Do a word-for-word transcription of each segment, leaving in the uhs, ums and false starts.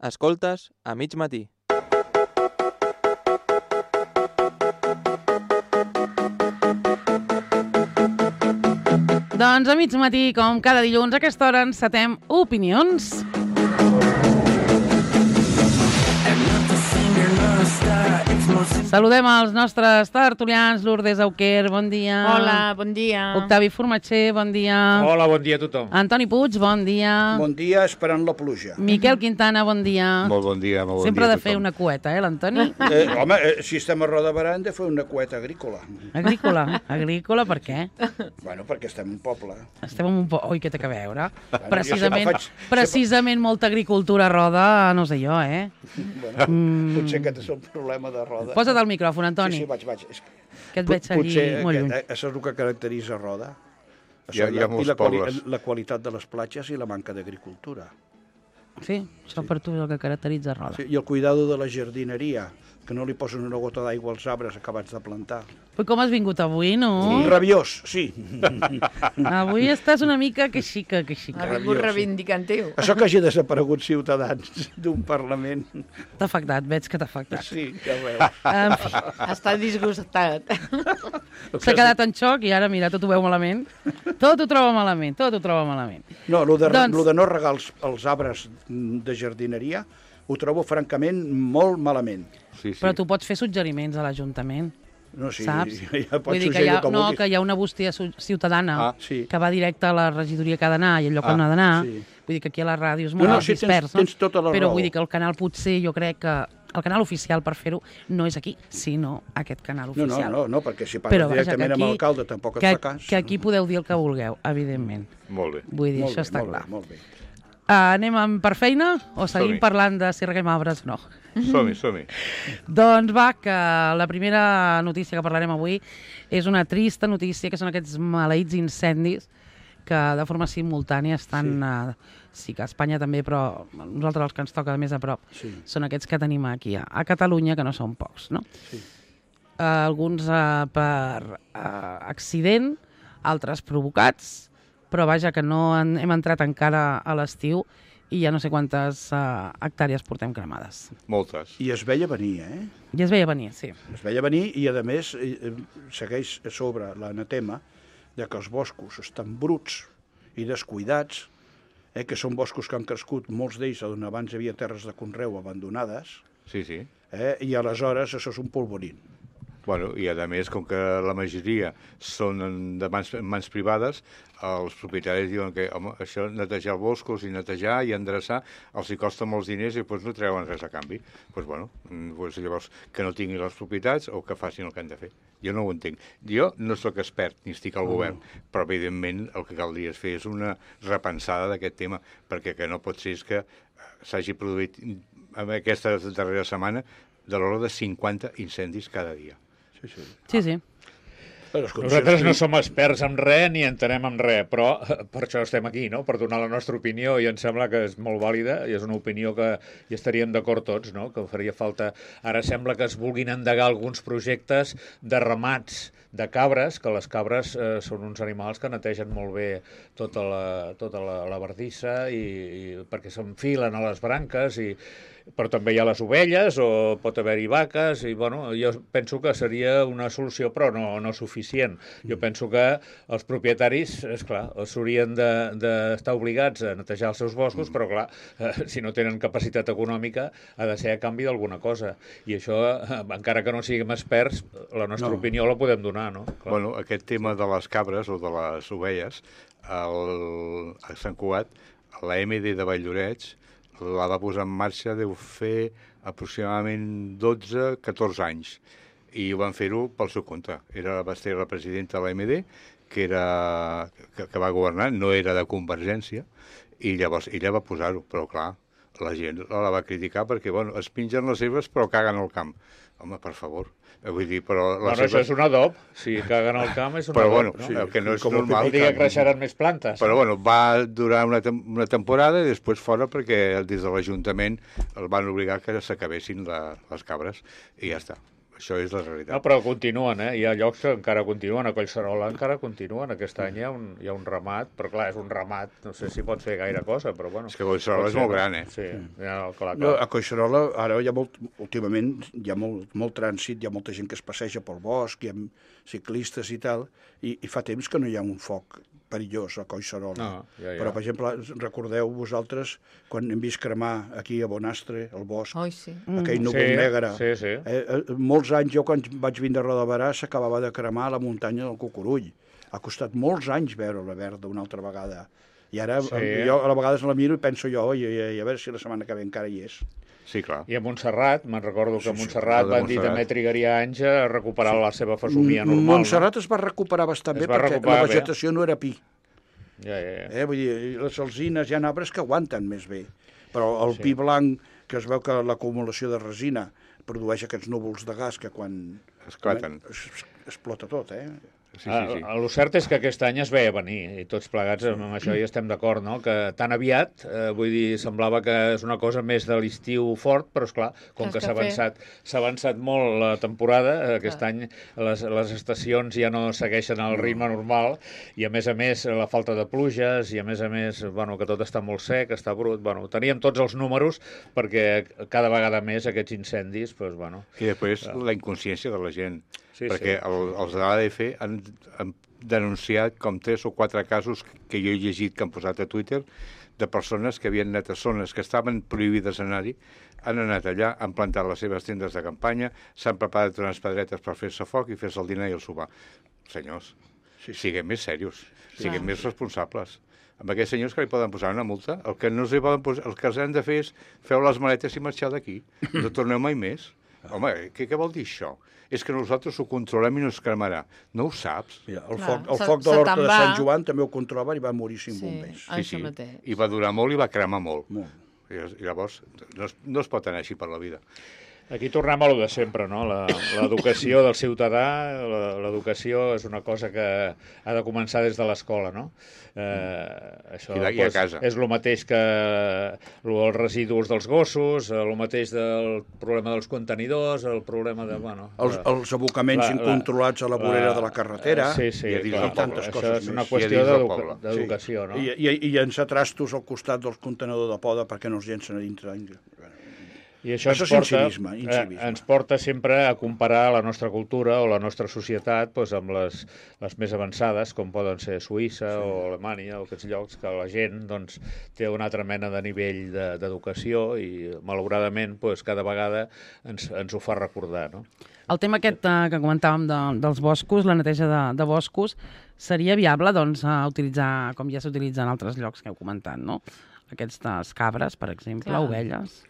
Escoltes a mig matí. Doncs a mig matí, com cada dilluns, a aquesta hora encetem Opinions. Saludem els nostres tertulians, Lourdes Auquer, bon dia. Hola, bon dia. Octavi Formatxer, bon dia. Hola, bon dia a tothom. Antoni Puig, bon dia. Bon dia, esperant la pluja. Miquel Quintana, bon dia. Molt bon dia, molt bon Sempre dia ha de fer una cueta, eh, l'Antoni? Eh, home, eh, si estem a Roda Barà hem de fer una cueta agrícola. Agrícola. Agrícola, per què? Bueno, perquè estem en un poble. Estem en un po... Oi, què té que veure? Bueno, Precisament, jo faig- precisament molta agricultura a Roda, no sé jo, eh? Bueno, mm. Potser aquest és el problema de Roda. Posa't el micròfon, Antoni. Sí, sí, vaig, vaig. És... Que et veig allí Potser molt lluny. aquest- això és el que caracteritza Roda. Hi ha- hi ha I molts la, quali pobles. la qualitat de les platges i la manca d'agricultura. Sí, això per tu és el que caracteritza Roda. Sí, I el cuidado de la jardineria, que no li posen una gota d'aigua als arbres acabats de plantar. Però com has vingut avui, no? Rabiós, sí. Avui estàs una mica que xica, que Ha xica. vingut Rabiós, sí. reivindicatiu. Això que hagi desaparegut Ciutadans d'un Parlament. T'ha afectat, veig que t'ha afectat. Sí, ja ho veus. En fi, Està disgustat. s'ha quedat en xoc i ara, mira, tot ho veu malament. Tot ho troba malament, tot ho troba malament. No, el de, Doncs- lo de no regar els, els arbres de jardineria ho trobo francament molt malament. Sí, sí. Però tu pots fer suggeriments a l'Ajuntament, No, sí, saps? ja pots Vull dir que hi suggerir ha, el que no, vulguis. que hi ha una bústia su- ciutadana Ah, sí. que va directe a la regidoria que ha d'anar i allò que Ah, no ha d'anar. sí. Vull dir que aquí a la ràdio és No, molt no, sí, tens- dispers, tens tota la Però raó. vull dir que el canal potser jo crec que el canal oficial per fer-ho no és aquí, sinó aquest canal No, no, oficial. no, no, perquè si parles Però, vaja, directament que amb aquí- l'alcalde tampoc et que, fa cas. que aquí podeu dir el que vulgueu, evidentment. Molt bé. Vull dir, Molt això bé, està molt clar. Bé, molt bé. Uh, anem amb per feina o seguim Som-hi. parlant de si reguem arbres o no? Som-hi, som-hi. Doncs va, que la primera notícia que parlarem avui és una trista notícia, que són aquests maleïts incendis que de forma simultània estan, sí, uh, sí que a Espanya també, però a nosaltres els que ens toca més a prop Sí. són aquests que tenim aquí a, a Catalunya, que no són pocs, no? Sí. Uh, alguns uh, per uh, accident, altres provocats, però vaja, que no han, hem entrat encara a l'estiu i ja no sé quantes uh, hectàrees portem cremades. Moltes. I es veia venir, eh? I es veia venir, sí. Es veia venir i, a més, eh, eh, segueix a sobre l'anatema de que els boscos estan bruts i descuidats, eh, que són boscos que han crescut, molts d'ells on abans hi havia terres de conreu abandonades, Sí, sí. eh, i aleshores això és un polvorín. Bueno, i a més, com que la majoria són en- de mans, en mans privades, els propietaris diuen que home, això, netejar boscos i netejar i endreçar, els hi costa molts diners i doncs no treuen res a canvi. Doncs bueno, doncs llavors que no tinguin les propietats o que facin el que han de fer. Jo no ho entenc. Jo no sóc expert ni estic al govern, però evidentment el que caldria fer és una repensada d'aquest tema, perquè que no pot ser és que s'hagi produït en aquesta darrera setmana de l'ordre de cinquanta incendis cada dia. Sí, sí. Sí, sí. Però les condicions Nosaltres no clim- som experts en res ni entenem en res, però eh, per això estem aquí, no? Per donar la nostra opinió, i em sembla que és molt vàlida i és una opinió que hi estaríem d'acord tots, no? Que faria falta... Ara sembla que es vulguin endegar alguns projectes de ramats de cabres, que les cabres eh, són uns animals que netegen molt bé tota la, tota la, la bardissa i, i perquè s'enfilen a les branques i però també hi ha les ovelles o pot haver-hi vaques i bueno, jo penso que seria una solució però no, no suficient. Jo penso que els propietaris, esclar, s'haurien d'estar de, obligats a netejar els seus boscos, però clar, eh, si no tenen capacitat econòmica ha de ser a canvi d'alguna cosa. I això, eh, encara que no siguem experts, la nostra No. opinió la podem donar, no? Clar. Bueno, aquest tema de les cabres o de les ovelles, el, a Sant Cugat, la M D de Valldoreix la va posar en marxa, deu fer aproximadament dotze catorze anys, i van fer-ho pel seu compte. Era, va ser la presidenta de la M D, que, era, que, que va governar, no era de Convergència, i llavors ella va posar-ho, però clar, la gent la va criticar perquè, bueno, es pengen les herbes però caguen al camp. Home, per favor. Vull dir, però... Les Bueno, això és un adob. Si caguen al camp és un Però, adob, bueno, no? sí, el que no és com el normal... Vol dir que creixeran més plantes. Però, bueno, va durar una, tem una temporada i després fora perquè des de l'Ajuntament el van obligar que s'acabessin les cabres i ja està. Això és la realitat. No, però continuen, eh? Hi ha llocs que encara continuen, a Collserola encara continuen. Aquest any hi ha, un, hi ha un ramat, però clar, és un ramat, no sé si pot fer gaire cosa, però bueno. És que Collserola pot és ser, molt gran, eh? Sí, ja, clar, clar. No, a Collserola, ara hi ha molt, últimament hi ha molt, molt trànsit, hi ha molta gent que es passeja pel bosc, hi ha ciclistes i tal, i, i fa temps que no hi ha un foc perillós a Collserola. No, ja, ja. Però, per exemple, recordeu vosaltres quan hem vist cremar aquí a Bonastre, al bosc, Oi, sí. aquell núvol Sí, negre. sí, sí. Eh, eh, molts anys, jo quan vaig vindre a Roda de Berà, s'acabava de cremar la muntanya del Cucurull. Ha costat molts anys veure-la verda una altra vegada. I ara Sí. eh, jo a vegades la miro i penso jo, oi, i, i a veure si la setmana que ve encara hi és. Sí, clar. I a Montserrat, me'n recordo que a Sí, sí, Montserrat de van dir Montserrat. també trigaria anys a recuperar la seva fesomia normal. Montserrat es va recuperar bastant Es bé va perquè recuperar la bé. vegetació no era pi. No? Ja, ja, ja. Eh? Vull dir, les alzines hi ha arbres que aguanten més bé, però el Sí. pi blanc, que es veu que l'acumulació de resina produeix aquests núvols de gas que quan Esclaten. es, es, explota tot, eh? Sí, sí, sí. Ah, el cert és que aquest any es veia venir, i tots plegats amb això hi estem d'acord, no? Que tan aviat, eh, vull dir, semblava que és una cosa més de l'estiu fort, però, esclar, com Saps que què s'ha fer? avançat, s'ha avançat molt la temporada, eh, aquest Clar. any les, les estacions ja no segueixen el ritme normal, i a més a més la falta de pluges, i a més a més, bueno, que tot està molt sec, està brut, bueno, teníem tots els números perquè cada vegada més aquests incendis, doncs, bueno... I després la inconsciència de la gent. Sí, perquè sí. el, els de l'A D F han, han denunciat com tres o quatre casos que jo he llegit que han posat a Twitter de persones que havien anat a zones que estaven prohibides anar-hi, han anat allà, han plantat les seves tendes de campanya, s'han preparat unes pedretes per fer-se foc i fer-se el dinar i el sopar. Senyors, sí, siguem més serios, siguem Clar. més responsables. Amb aquests senyors que li poden posar una multa, el que no els hi poden posar, el que els han de fer és feu les maletes i marxar d'aquí. No torneu mai més. Home, què, què vol dir això? És que nosaltres ho controlem i no es cremarà. No ho saps? Mira, el Clar, foc, el se- foc de se l'Horta te'n de va. Sant Joan també ho controlaven i va morir cinc Sí. bombers. Ah, això mateix. I va durar molt i va cremar molt. Molt. I, I llavors no es, no es pot anar així per la vida. Aquí tornem a lo de sempre, no? La- L'educació del ciutadà, la- l'educació és una cosa que ha de començar des de l'escola, no? Eh, això I de- i a doncs, casa. és el mateix que lo- els residus dels gossos, el mateix del problema dels contenidors, el problema de... Bueno, Els, la- els abocaments la- la- incontrolats a la vorera de la carretera. Sí, sí, i a dins clar, del poble. Tantes això coses és una més. I a qüestió dins del d'educa- poble. d'educació, no? I, i, i llençar trastos al costat del contenedor de poda perquè no els llencen a dintre. I això, Això ens és porta, incivisme, incivisme. Eh, ens porta sempre a comparar la nostra cultura o la nostra societat doncs, amb les, les més avançades, com poden ser Suïssa sí. o Alemanya, o aquests llocs que la gent doncs, té una altra mena de nivell de- d'educació i, malauradament, doncs, cada vegada ens, ens ho fa recordar, no? El tema aquest eh, que comentàvem de, dels boscos, la neteja de, de boscos, seria viable doncs, a utilitzar, com ja s'utilitza en altres llocs que heu comentat, no? Aquestes cabres, per exemple, Clar. ovelles.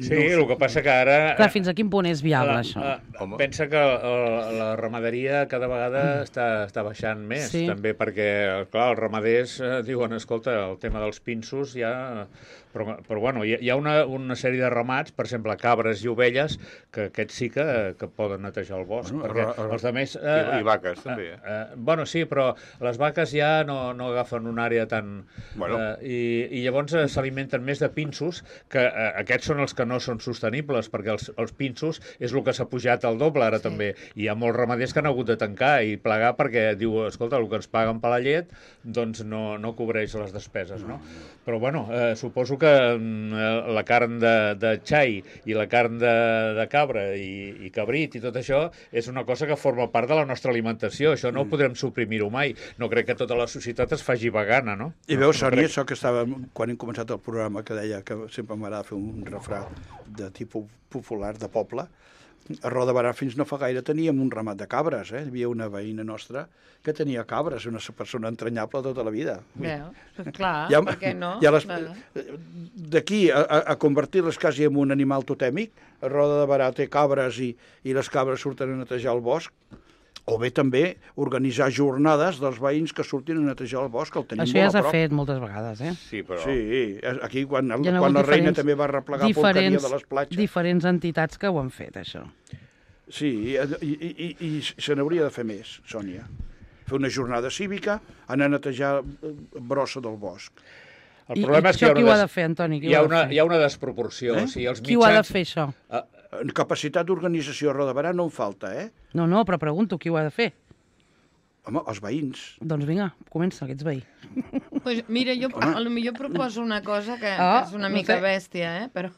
Sí, el que passa que ara... Clar, fins a quin punt és viable, la, això? la, Home. pensa que la, la ramaderia cada vegada Mm. està, està baixant més, Sí. també perquè, clar, els ramaders eh, diuen, escolta, el tema dels pinsos ja... Però, però bueno, hi ha, hi ha una, una sèrie de ramats, per exemple, cabres i ovelles, que aquests sí que, que poden netejar el bosc, Bueno, perquè ra- ra- els altres... I, I vaques, també, eh? Eh, bueno, sí, però les vaques ja no, no agafen una àrea tan... Bueno. Eh, i, I llavors eh, s'alimenten més de pinsos, que eh, aquests són els que no són sostenibles, perquè els, els pinsos és el que s'ha pujat al doble ara Sí. també. I hi ha molts ramaders que han hagut de tancar i plegar perquè diu, escolta, el que ens paguen per la llet doncs no, no cobreix les despeses, no? Però, bueno, eh, suposo que mm, la carn de, de xai i la carn de, de cabra i, i cabrit i tot això és una cosa que forma part de la nostra alimentació. Això no ho podrem suprimir-ho mai. No crec que tota la societat es faci vegana, no? I no, veus, no Sònia, crec. això que estava, quan hem començat el programa, que deia que sempre m'agrada fer un refrà de tipus popular, de poble, a Roda de Berà fins no fa gaire teníem un ramat de cabres, eh? Hi havia una veïna nostra que tenia cabres, una persona entranyable tota la vida. Veus? Clar, Ja- per què no? ja les- Clar. D'aquí a, a, a convertir-les quasi en un animal totèmic, a Roda de Berà té cabres i, i les cabres surten a netejar el bosc, o bé també organitzar jornades dels veïns que surtin a netejar el bosc, que el tenim Això ja molt a s'ha prop. fet moltes vegades, eh? Sí, però... Sí, aquí quan, Hi ha quan hagut la reina diferents- també va replegar porqueria de les platges. diferents entitats que ho han fet, això. Sí, i, i, i, i se n'hauria de fer més, Sònia. Fer una jornada cívica, anar a netejar eh, brossa del bosc. El I, problema i és que això hi ha qui una, ho ha des- de fer, Antoni? Qui hi ha ho ha de una, fer? hi ha una desproporció. Eh? O sigui, els Qui ho ha de mitjans- fer, això? Eh, Capacitat d'organització a Roda de Berà no en falta, eh? No, no, però pregunto qui ho ha de fer. Home, els veïns. Doncs vinga, comença, que ets veí. Pues mira, jo a lo millor proposo una cosa que, Ah, que és una no mica sé. bèstia, eh? Però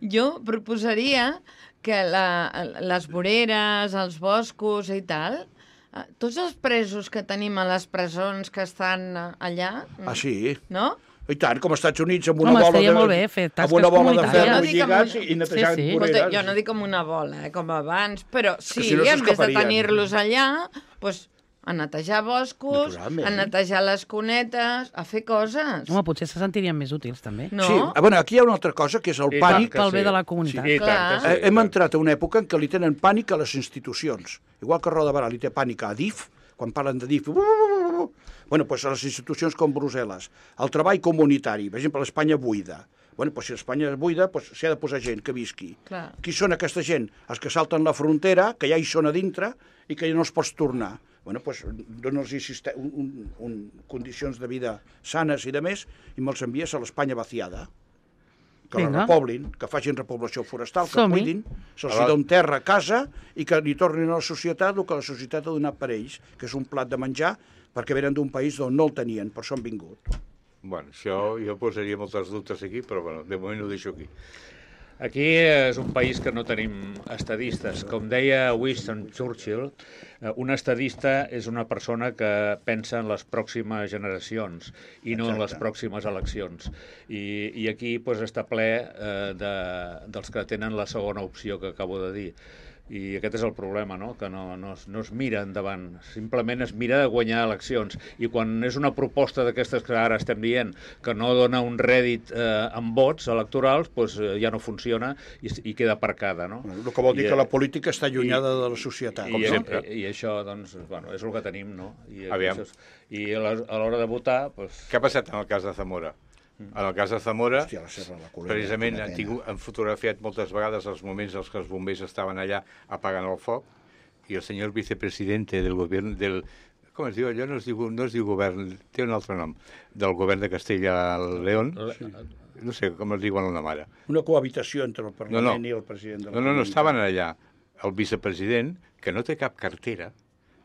jo proposaria que la, les voreres, els boscos i tal, eh, tots els presos que tenim a les presons que estan eh, allà, Ah, sí? no? I tant, com als Estats Units, amb una Home, bola estaria de... molt bé fer tasques amb una bola de comunitàries. ferro Jo no dic amb lligats una- i netejant Sí, sí. voreres. Escolta, jo no dic com una bola, eh, com abans, però sí, si no en vez de s'escaparien. tenir-los allà, doncs, a netejar boscos, Naturalment. a netejar les cunetes, a fer coses. Home, potser se sentirien més útils, també. No? Sí, ah, bueno, aquí hi ha una altra cosa, que és el I pànic. tant que pel bé sí. de la comunitat. Sí, i tant Clar. que sí, Eh, Hem i tant. entrat a una època en què li tenen pànic a les institucions. Igual que Roda de Berà li té pànic a Adif, quan parlen de Adif... Bueno, doncs a les institucions com Brussel·les. El treball comunitari, per exemple, l'Espanya buida. Bueno, doncs si l'Espanya és buida, doncs s'hi ha de posar gent que visqui. Clar. Qui són aquesta gent? Els que salten la frontera, que ja hi són a dintre i que ja no els pots tornar. Bueno, doncs dona'ls un, un, un, condicions de vida sanes i de més i me'ls envies a l'Espanya vaciada. Que la Vinga. repoblin, que facin repoblació forestal, que Som-hi. cuidin, se'ls Ara- doni terra a casa i que li tornin a la societat el que la societat ha donat per ells, que és un plat de menjar perquè venen d'un país on no el tenien, per això han vingut. Bueno, això jo posaria moltes dubtes aquí, però bueno, de moment ho deixo aquí. Aquí és un país que no tenim estadistes. Com deia Winston Churchill, eh, un estadista és una persona que pensa en les pròximes generacions i no en les pròximes eleccions. I, i aquí pues, està ple eh, de, dels que tenen la segona opció que acabo de dir. I aquest és el problema, no? Que no, no, es, no es mira endavant, simplement es mira de guanyar eleccions. I quan és una proposta d'aquestes que ara estem dient que no dona un rèdit eh, amb vots electorals, doncs, eh, ja no funciona i, i queda aparcada, no? El que vol dir I, que la eh, política està allunyada de la societat. I, com i, sempre. i, i això, doncs, bueno, és el que tenim, no? I, Aviam. això és, I a la- a l'hora de votar, doncs... Què ha passat en el cas de Zamora? En el cas de Zamora, Hòstia, la Serra de la Colera, precisament quina han, pena. tingut, han fotografiat moltes vegades els moments en què els bombers estaven allà apagant el foc i el senyor vicepresidente del govern del... Com es diu? Allò no es diu, no es diu govern, té un altre nom, del govern de Castella-León. No sé com es diuen la mare. Una cohabitació entre el Parlament No, no. i el president de la No, no, no, Comunitat. estaven allà. El vicepresident, que no té cap cartera,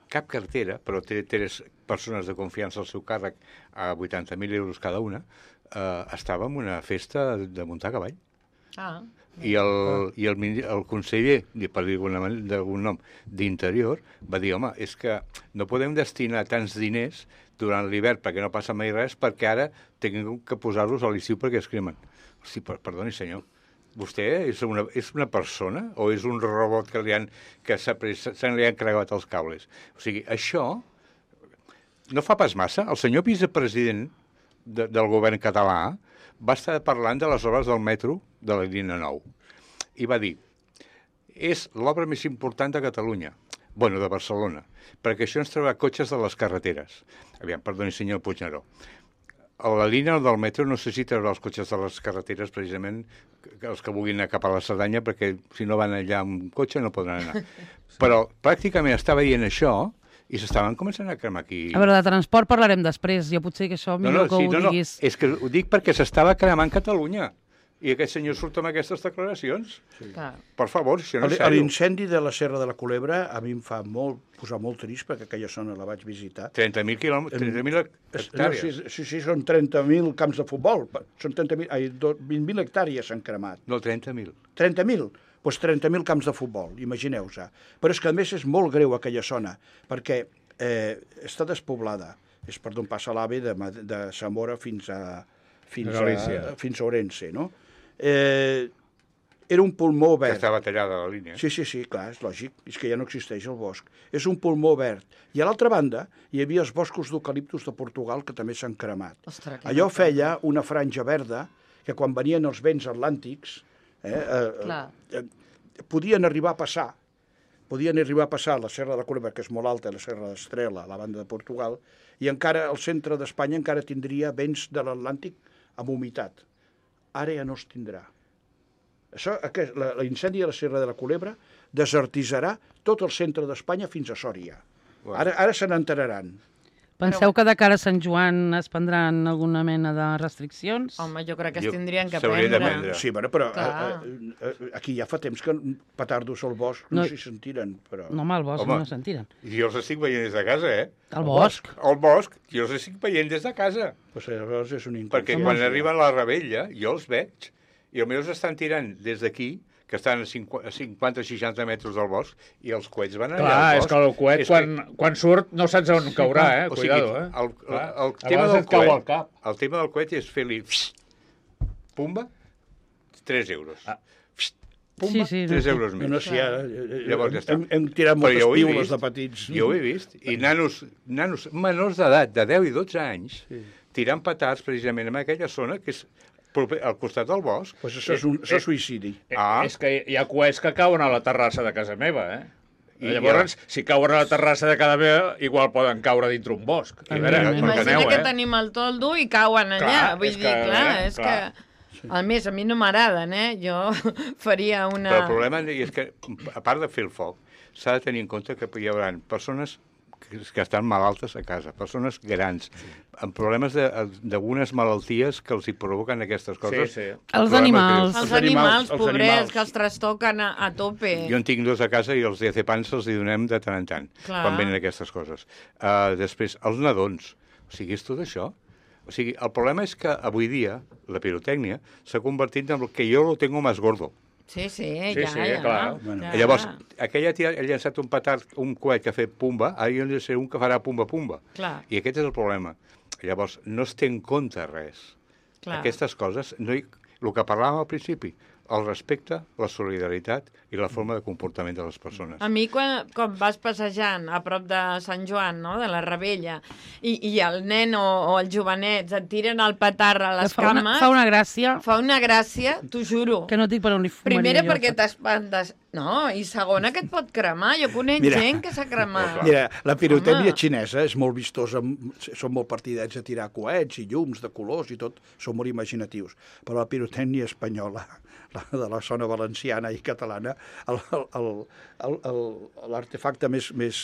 cap cartera, però té tres persones de confiança al seu càrrec a vuitanta mil euros cada una, eh, estava en una festa de muntar a cavall. Ah, I el, i el, mini- el conseller, per dir d'alguna manera- d'algun nom, d'Interior, va dir, home, és que no podem destinar tants diners durant l'hivern perquè no passa mai res, perquè ara tinguem que posar-los a l'estiu perquè es cremen. Hosti, per, perdoni, senyor, vostè és una, és una persona o és un robot que, li han, que s'ha pres- se li han cregat els cables? O sigui, això no fa pas massa. El senyor vicepresident de, del govern català va estar parlant de les obres del metro de la línia nou i va dir, és l'obra més important de Catalunya, bueno, de Barcelona, perquè això ens traurà cotxes de les carreteres. Aviam, perdoni, senyor Puigneró. A la línia del metro no sé si traurà els cotxes de les carreteres, precisament, que- els que vulguin anar cap a la Cerdanya, perquè si no van allà amb cotxe no podran anar. Però pràcticament estava dient això i s'estaven començant a cremar aquí. A veure, de transport parlarem després. Jo potser que això No, millor no, que sí, ho no, no, diguis... és que ho dic perquè s'estava cremant Catalunya. I aquest senyor surt amb aquestes declaracions. clar. Per favor, això no és El- sèrio. L'incendi de la Serra de la Culebra a mi em fa molt, posar molt trist perquè aquella zona la vaig visitar. trenta mil quilòmetres, trenta mil Es- No, hectàrees. sí, sí, sí, són trenta mil camps de futbol. Són trenta mil, ai, do- vint mil hectàrees s'han cremat. No, trenta mil. trenta mil? Doncs trenta mil camps de futbol, imagineu-se. Però és que, a més, és molt greu aquella zona, perquè eh, està despoblada. És per d'on passa l'AVE de, Ma- de Zamora fins a, fins A Galícia. a, fins a Orense, no? Eh, era un pulmó Que verd. estava tallada la línia. Sí, sí, sí, clar, és lògic. És que ja no existeix el bosc. És un pulmó verd. I a l'altra banda hi havia els boscos d'eucaliptus de Portugal que també s'han cremat. Ostres, que Allò no- feia una franja verda que quan venien els vents atlàntics eh, eh, Clar. eh, podien arribar a passar. Podien arribar a passar la Serra de la Culebra, que és molt alta, la Serra d'Estrela, a la banda de Portugal, i encara el centre d'Espanya encara tindria vents de l'Atlàntic amb humitat. Ara ja no es tindrà. Això, aquest, la- l'incendi de la Serra de la Culebra desertitzarà tot el centre d'Espanya fins a Sòria. Bueno. Ara, ara se n'enteraran. Penseu que de cara a Sant Joan es prendran alguna mena de restriccions? Home, jo crec que Jo- es tindrien que s'haurien de prendre. prendre. Sí, bueno, però Clar. eh, eh, aquí ja fa temps que petardos al bosc no, No. s'hi sentiren, però... No, home, al bosc Home. no sentiren. Jo els estic veient des de casa, eh? Al bosc. Al bosc, jo els estic veient des de casa. Pues, llavors és un Perquè inconfort. quan arriben a la rebella, jo els veig, i els meus estan tirant des d'aquí, que estan a cinquanta o seixanta metres del bosc, i els coets van allà Clar, al és bosc. que el coet, És quan, quan surt, no saps on caurà, eh? O sigui, Cuidado, eh? el, el, Clar. el, A tema vegades del et cau coet, al cap. el tema del coet és fer-li pumba, tres euros. Ah. Pumba, Sí, sí, no tres sé. euros No, més. no, sí, ara, eh, Llavors ja està. hem, hem tirat Però moltes jo ho he piules vist. de petits. Jo ho he vist. I nanos, nanos menors d'edat, de deu i dotze anys, sí. tirant petards precisament en aquella zona que és proper, al costat del bosc. Pues això és, un, això és suïcidi. Eh, Ah. És que hi ha coets que cauen a la terrassa de casa meva, eh? I I llavors, ja- si cauen a la terrassa de casa meva, igual poden caure dintre un bosc. I a veure, Evidentment. Imagina enteneu, que eh? tenim el toldo i cauen allà. Clar, Vull és dir, que, clar, eh, és clar. que... A més, a mi no m'agraden, eh? Jo faria una... Però el problema és que, a part de fer el foc, s'ha de tenir en compte que hi haurà persones que, que estan malaltes a casa, persones grans, amb problemes de- d'algunes malalties que els hi provoquen aquestes coses. Sí, sí. Els Problemes animals. Els Els animals, animals, els pobrets, animals. que els trastoquen a, a tope. Jo en tinc dos a casa i els diazepans els hi donem de tant en tant, Clar. quan venen aquestes coses. Uh, després, els nadons. O sigui, és tot això. O sigui, el problema és que avui dia la pirotècnia s'ha convertit en el que jo lo tengo más gordo. Sí, sí, Sí, ja, sí, ja. clar. Bueno. ja. Llavors, aquell ha, tirat, ha llançat un petard, un coet que ha fet pumba, ara jo he de ser un que farà pumba-pumba. Clar. I aquest és el problema. Llavors, no es té en compte res. Clar. Aquestes coses, no hi, el que parlàvem al principi, el respecte, la solidaritat i la forma de comportament de les persones. A mi, quan, quan vas passejant a prop de Sant Joan, no?, de la Rebella, i, i el nen o, o els jovenets et tiren el petard a les fa, una, cames, fa una gràcia fa una gràcia, t'ho juro. que no et dic per on li fumaria. Primera, jo, perquè saps? t'espantes. No, i segona, que et pot cremar. Jo conec Mira. gent que s'ha cremat. Mira, la pirotècnia Home. xinesa és molt vistosa, són molt partidats a tirar coets i llums de colors i tot, són molt imaginatius. Però la pirotècnia espanyola, la de la zona valenciana i catalana, el- el- el- el- el- l'artefacte més, més,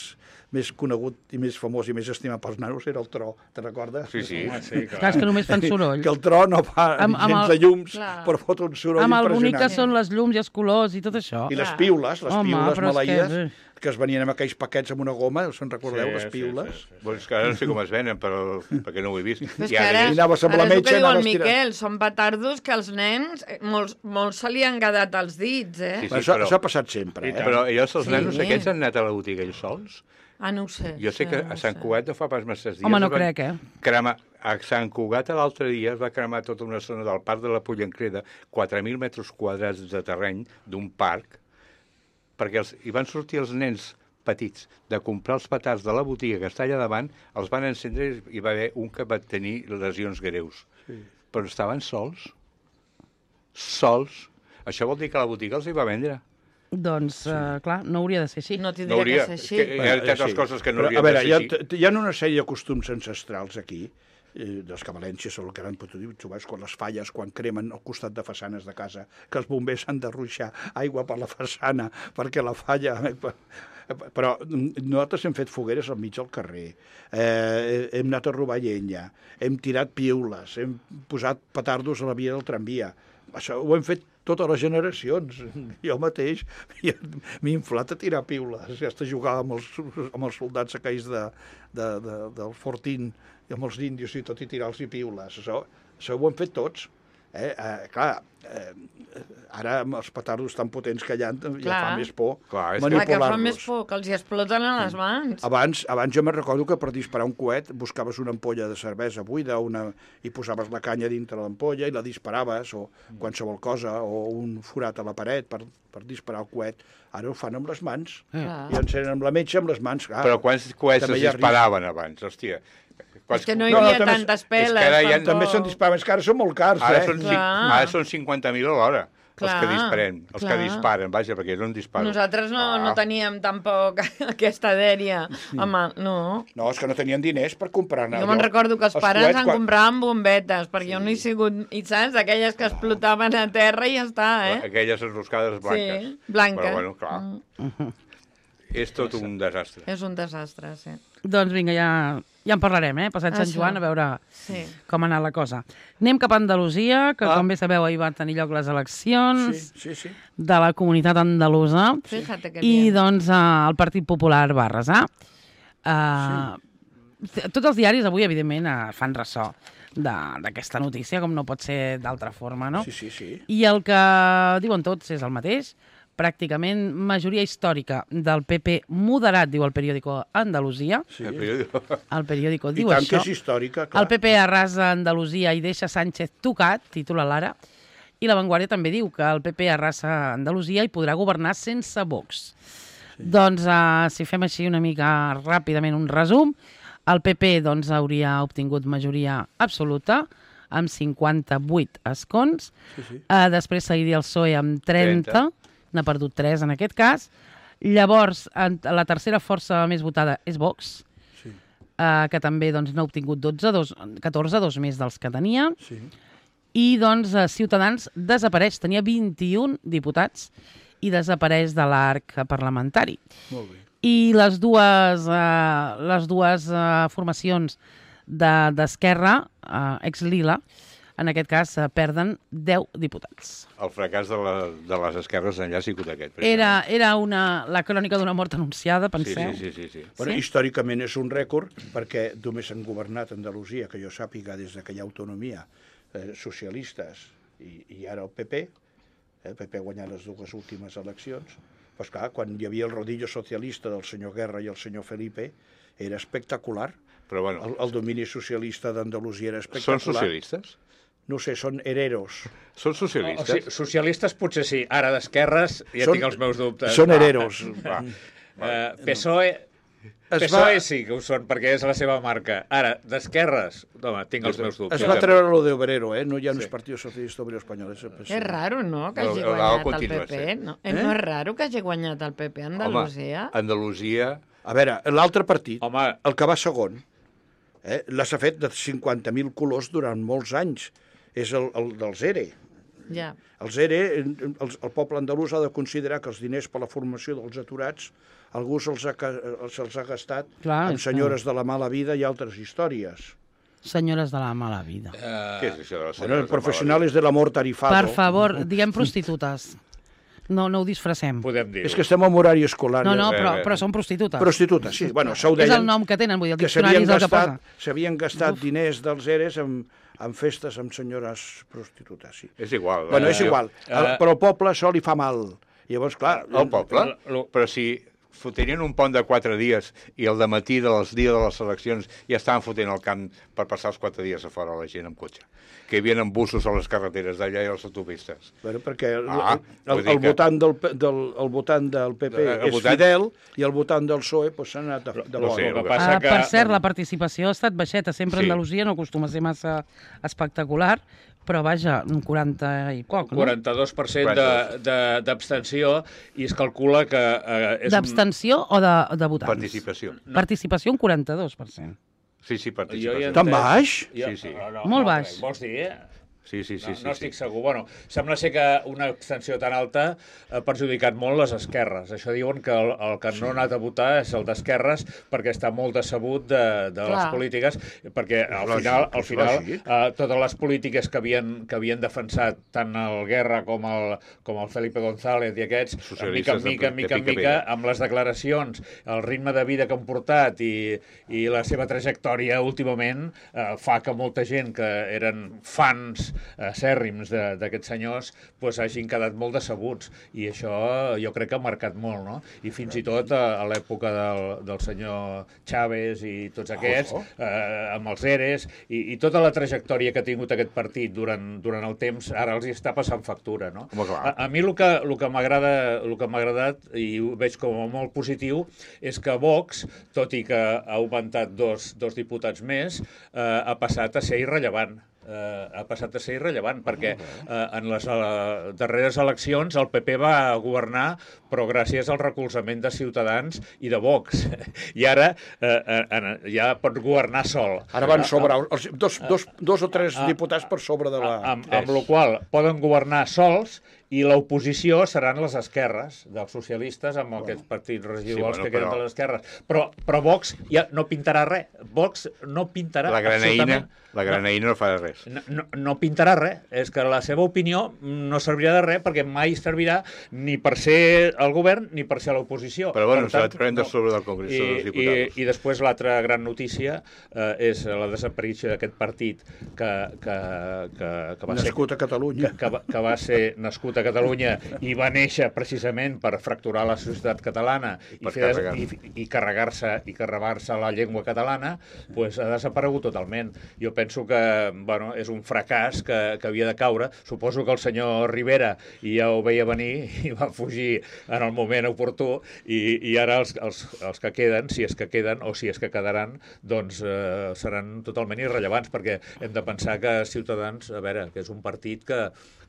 més conegut i més famós i més estimat pels nanos era el tro, te recordes? Sí, sí. Home, sí, Clar, clar. és que només fan soroll. Que el tro no fa Amb- amb gens el- de llums, Clar. però fot un soroll Amb el bonic que impressionant. són les llums i els colors i tot això. I les Clar. piules, les Home, piules però és que- maleïdes, que, es venien amb aquells paquets amb una goma, se'n recordeu, Sí, les sí, piules? sí, sí. Bueno, és que ara no sé com es venen, però, perquè no ho he vist. Però és I que ara, és- I anaves amb la ara és el metge, que diu el anaves tirant. Miquel, són petardos que els nens, eh, molts, molts se li han quedat als dits, eh? Sí, sí. això, però- això ha passat sempre, I eh? tant. Però llavors els Sí. nanos aquests han anat a la botiga ells sols? Ah, no ho sé. Jo sé sí, que no a ho Sant sé. Cugat no fa pas massa dies... Home, no es van crec, eh? Cremar, a Sant Cugat l'altre dia es va cremar tota una zona del parc de la Pollancreda, quatre mil metres quadrats de terreny d'un parc, perquè els, hi van sortir els nens petits de comprar els petards de la botiga que està allà davant, els van encendre i hi va haver un que va tenir lesions greus. Sí. Però estaven sols. Sols. Això vol dir que la botiga els hi va vendre. Doncs, sí. uh, clar, no hauria de ser així. No No tindria hauria. que ser així. Que, hi ha tantes coses que no Però, haurien a veure, de hi ser ha, així. t- hi ha una sèrie de costums ancestrals aquí, eh, dels que a València són el que han pogut dir, tu veus, quan les falles, quan cremen al costat de façanes de casa, que els bombers han de ruixar aigua per la façana perquè la falla... Però nosaltres hem fet fogueres al mig del carrer, eh, hem anat a robar llenya, hem tirat piules, hem posat petardos a la via del tramvia. Això ho hem fet totes les generacions. Jo mateix m'he inflat a tirar piules, ja està jugar amb els, amb els soldats aquells de, de, de, del Fortín i amb els índios i tot i tirar-los i piules. Això, això ho hem fet tots. Eh? Eh, clar, eh, ara amb els petardos tan potents que hi ha, ja Clar. fa més por Clar, és que- Clar, que fa manipular-los. més por, que els hi exploten a les mans. Abans, abans jo me recordo que per disparar un coet buscaves una ampolla de cervesa buida una, i posaves la canya dintre l'ampolla i la disparaves, o qualsevol cosa, o un forat a la paret per, per disparar el coet. Ara ho fan amb les mans. Clar. I encenen amb la metge amb les mans. Ah, Però quants coets també es hi ha risc. disparaven abans, hòstia? És que no hi No, no, havia també- tantes és que peles. ara hi ha- tampoc. També se'n disparen, és que ara són molt cars, Ara eh? són, cinc, Clar. ara són cinquanta mil a l'hora, els Clar, que disparen, els clar. que disparen, vaja, perquè jo no en disparo. Nosaltres no, Ah. no teníem tampoc aquesta dèria. Home, no. No, és que no tenien diners per comprar-ne. Jo me'n recordo que els pares coets, en quan- compraven bombetes, perquè jo no he sigut, i saps, aquelles que explotaven a terra i ja està, eh? Aquelles enroscades blanques. Sí, blanques. Però bueno, clar, Mm, és tot un desastre. és un desastre, sí. Doncs vinga, ja, ja en parlarem, eh? Passat Sant Això. Joan, a veure Sí. com ha anat la cosa. Anem cap a Andalusia, que Ah. com bé sabeu ahir van tenir lloc les eleccions Sí, sí, sí. de la comunitat andalusa. Fíjate que I bien. doncs eh, el Partit Popular va arrasar. Uh, sí. Tots els diaris avui, evidentment, uh, fan ressò de- d'aquesta notícia, com no pot ser d'altra forma, no? Sí, sí, sí. I el que diuen tots és el mateix. Pràcticament majoria històrica del P P moderat, diu el periòdico Andalusia. sí. El periòdico. El periòdico I diu tant això. que és històrica, clar. El P P arrasa Andalusia i deixa Sánchez tocat, titula l'Ara. I La Vanguardia també diu que el P P arrasa Andalusia i podrà governar sense Vox. Sí. Doncs, uh, si fem així una mica ràpidament un resum, el P P doncs, hauria obtingut majoria absoluta, amb cinquanta-vuit escons. Sí, sí. Uh, després seguiria el P S O E amb trenta, trenta. n'ha perdut tres en aquest cas. Llavors, en, la tercera força més votada és Vox, Sí, uh, que també doncs, n'ha obtingut dotze, dos, catorze, dos més dels que tenia. sí. I doncs eh, Ciutadans desapareix, tenia vint-i-un diputats i desapareix de l'arc parlamentari. Molt bé. I les dues, eh, les dues eh, formacions de- d'Esquerra, eh, ex-Lila, en aquest cas eh, perden deu diputats. El fracàs de, la, de les esquerres enllà ha sigut aquest. Era, era una, la crònica d'una mort anunciada, Sí, penseu? sí, sí, sí, sí. Bueno, Sí? històricament és un rècord perquè només han governat Andalusia, que jo sàpiga, des que hi ha autonomia, eh, socialistes i, i ara el P P. Eh, el P P ha guanyat les dues últimes eleccions. Pues clar, quan hi havia el rodillo socialista del senyor Guerra i el senyor Felipe, era espectacular. Però bueno, El, el domini socialista d'Andalusia era són espectacular. socialistes? No sé, són hereros. Són O sigui, socialistes? socialistes potser sí, ara d'esquerres ja Són- tinc els meus dubtes. Són hereros. Va. Eh, P S O E... Es P S O E va- sí que ho són, perquè és la seva marca. Ara, d'esquerres, home, tinc els meus dubtes. Es va treure lo de obrero, eh? No hi ha sí. un Partido Socialista Obrero Espanyol. És el P S O E. És raro, no?, que El- hagi el Lau guanyat el continua P P. sent. No, eh? Eh? no és raro que hagi guanyat el P P a Andalusia? Home, Andalusia... A veure, l'altre partit, Home, el que va segon, eh, l'ha fet de cinquanta mil colors durant molts anys. És el, el dels E R E. Ja. Els E R E, el, el poble andalús ha de considerar que els diners per la formació dels aturats algú se'ls ha, ca- se'ls ha gastat Clar, amb és senyores de la mala vida i altres històries. Senyores de la mala vida. Què és això de les Bueno, el senyores professional és de l'amor tarifado. Per favor, diguem prostitutes. No, no ho disfressem. podem dir-ho. És que estem en horari escolar. No, no, ja. però, però són prostitutes. Prostitutes, sí. Bueno, això ho És deien, el nom que tenen, vull dir, el que diccionari s'havien és el que gastat, posa. s'havien gastat diners dels E R Es en, en festes amb senyores prostitutes, sí. És igual. Bueno, eh? és igual, el, però al poble això li fa mal. Llavors, clar... El poble? Lo- lo- Però si fotrien un pont de quatre dies i el dematí dels dies de les eleccions ja estaven fotent el camp per passar els quatre dies a fora la gent amb cotxe. Que hi havia busos a les carreteres d'allà i a les autopistes. Bueno, perquè el, Ah, el, vull dir el, que- votant del, P- del, el votant del P P El és votant- fidel i el votant del P S O E pues, s'ha anat de, de no bo. sé, El que el passa Ah, que... per cert, la participació ha estat baixeta. Sempre Sí. Andalusia no acostuma a ser massa espectacular, però vaja, un quaranta i poc, no? quaranta-dos per cent de- de- d'abstenció i es calcula que... Eh, és un- D'abstenció o de, de votants? Participació. Participació un quaranta-dos per cent. Sí, sí, Jo participació. hi he Tan entès- baix? Jo, Sí, sí. No, no, Molt no, baix. Vols dir, eh? Sí, sí, sí. No, sí, no sí. estic segur. Bueno, sembla ser que una abstenció tan alta ha perjudicat molt les esquerres. Això diuen que el, el que no ha anat a votar és el d'esquerres perquè està molt decebut de, de les Clar. polítiques, perquè al lògic, final, al és final lògic. eh, totes les polítiques que havien, que havien defensat tant el Guerra com el, com el Felipe González i aquests, en mica en Socialistes de mica, en pi- mica, de en pica mica, pera. amb les declaracions, el ritme de vida que han portat i, i la seva trajectòria últimament eh, fa que molta gent que eren fans eh, acèrrims d'aquests senyors pues, hagin quedat molt decebuts i això jo crec que ha marcat molt, no? I fins i tot a, a l'època del, del senyor Chávez i tots aquests, Oh. eh, amb els E R Es i, i tota la trajectòria que ha tingut aquest partit durant, durant el temps, ara els hi està passant factura, no? Home, clar. A, a mi el que, el que m'agrada, el que m'ha agradat i ho veig com a molt positiu és que Vox, tot i que ha augmentat dos, dos diputats més, eh, ha passat a ser irrellevant. Eh, ha passat a ser irrellevant perquè eh, en les eh, darreres eleccions el P P va governar però gràcies al recolzament de Ciutadans i de Vox i ara eh, eh, ja pot governar sol. Ara van sobrar els, dos, dos, dos o tres Ah, diputats per sobre de la... Amb, amb la qual poden governar sols i l'oposició seran les esquerres dels socialistes amb aquests partits residuals Sí, bueno, que queden però- de les esquerres. Però, però Vox ja no pintarà res. Vox no pintarà La graneïna, absolutament... la graneïna no farà res. No, no, no pintarà res. És que la seva opinió no servirà de res perquè mai servirà ni per ser al govern ni per ser a l'oposició. Però bueno, Per se la tant, traurem de sobre del Congrés I, dels i, Diputats. I després l'altra gran notícia eh, és la desaparició d'aquest partit que, que, que, que va ser... Nascut a Catalunya. Que, que, va, que va ser nascut a Catalunya i va néixer precisament per fracturar la societat catalana i, Per fer des- carregar. i, i carregar-se i carregar-se la llengua catalana, pues, ha desaparegut totalment. Jo penso que bueno, és un fracàs que, que havia de caure. Suposo que el senyor Rivera ja ho veia venir i va fugir en el moment oportú i, i ara els, els, els que queden, si és que queden o si és que quedaran, doncs eh, seran totalment irrellevants perquè hem de pensar que Ciutadans, a veure, que és un partit que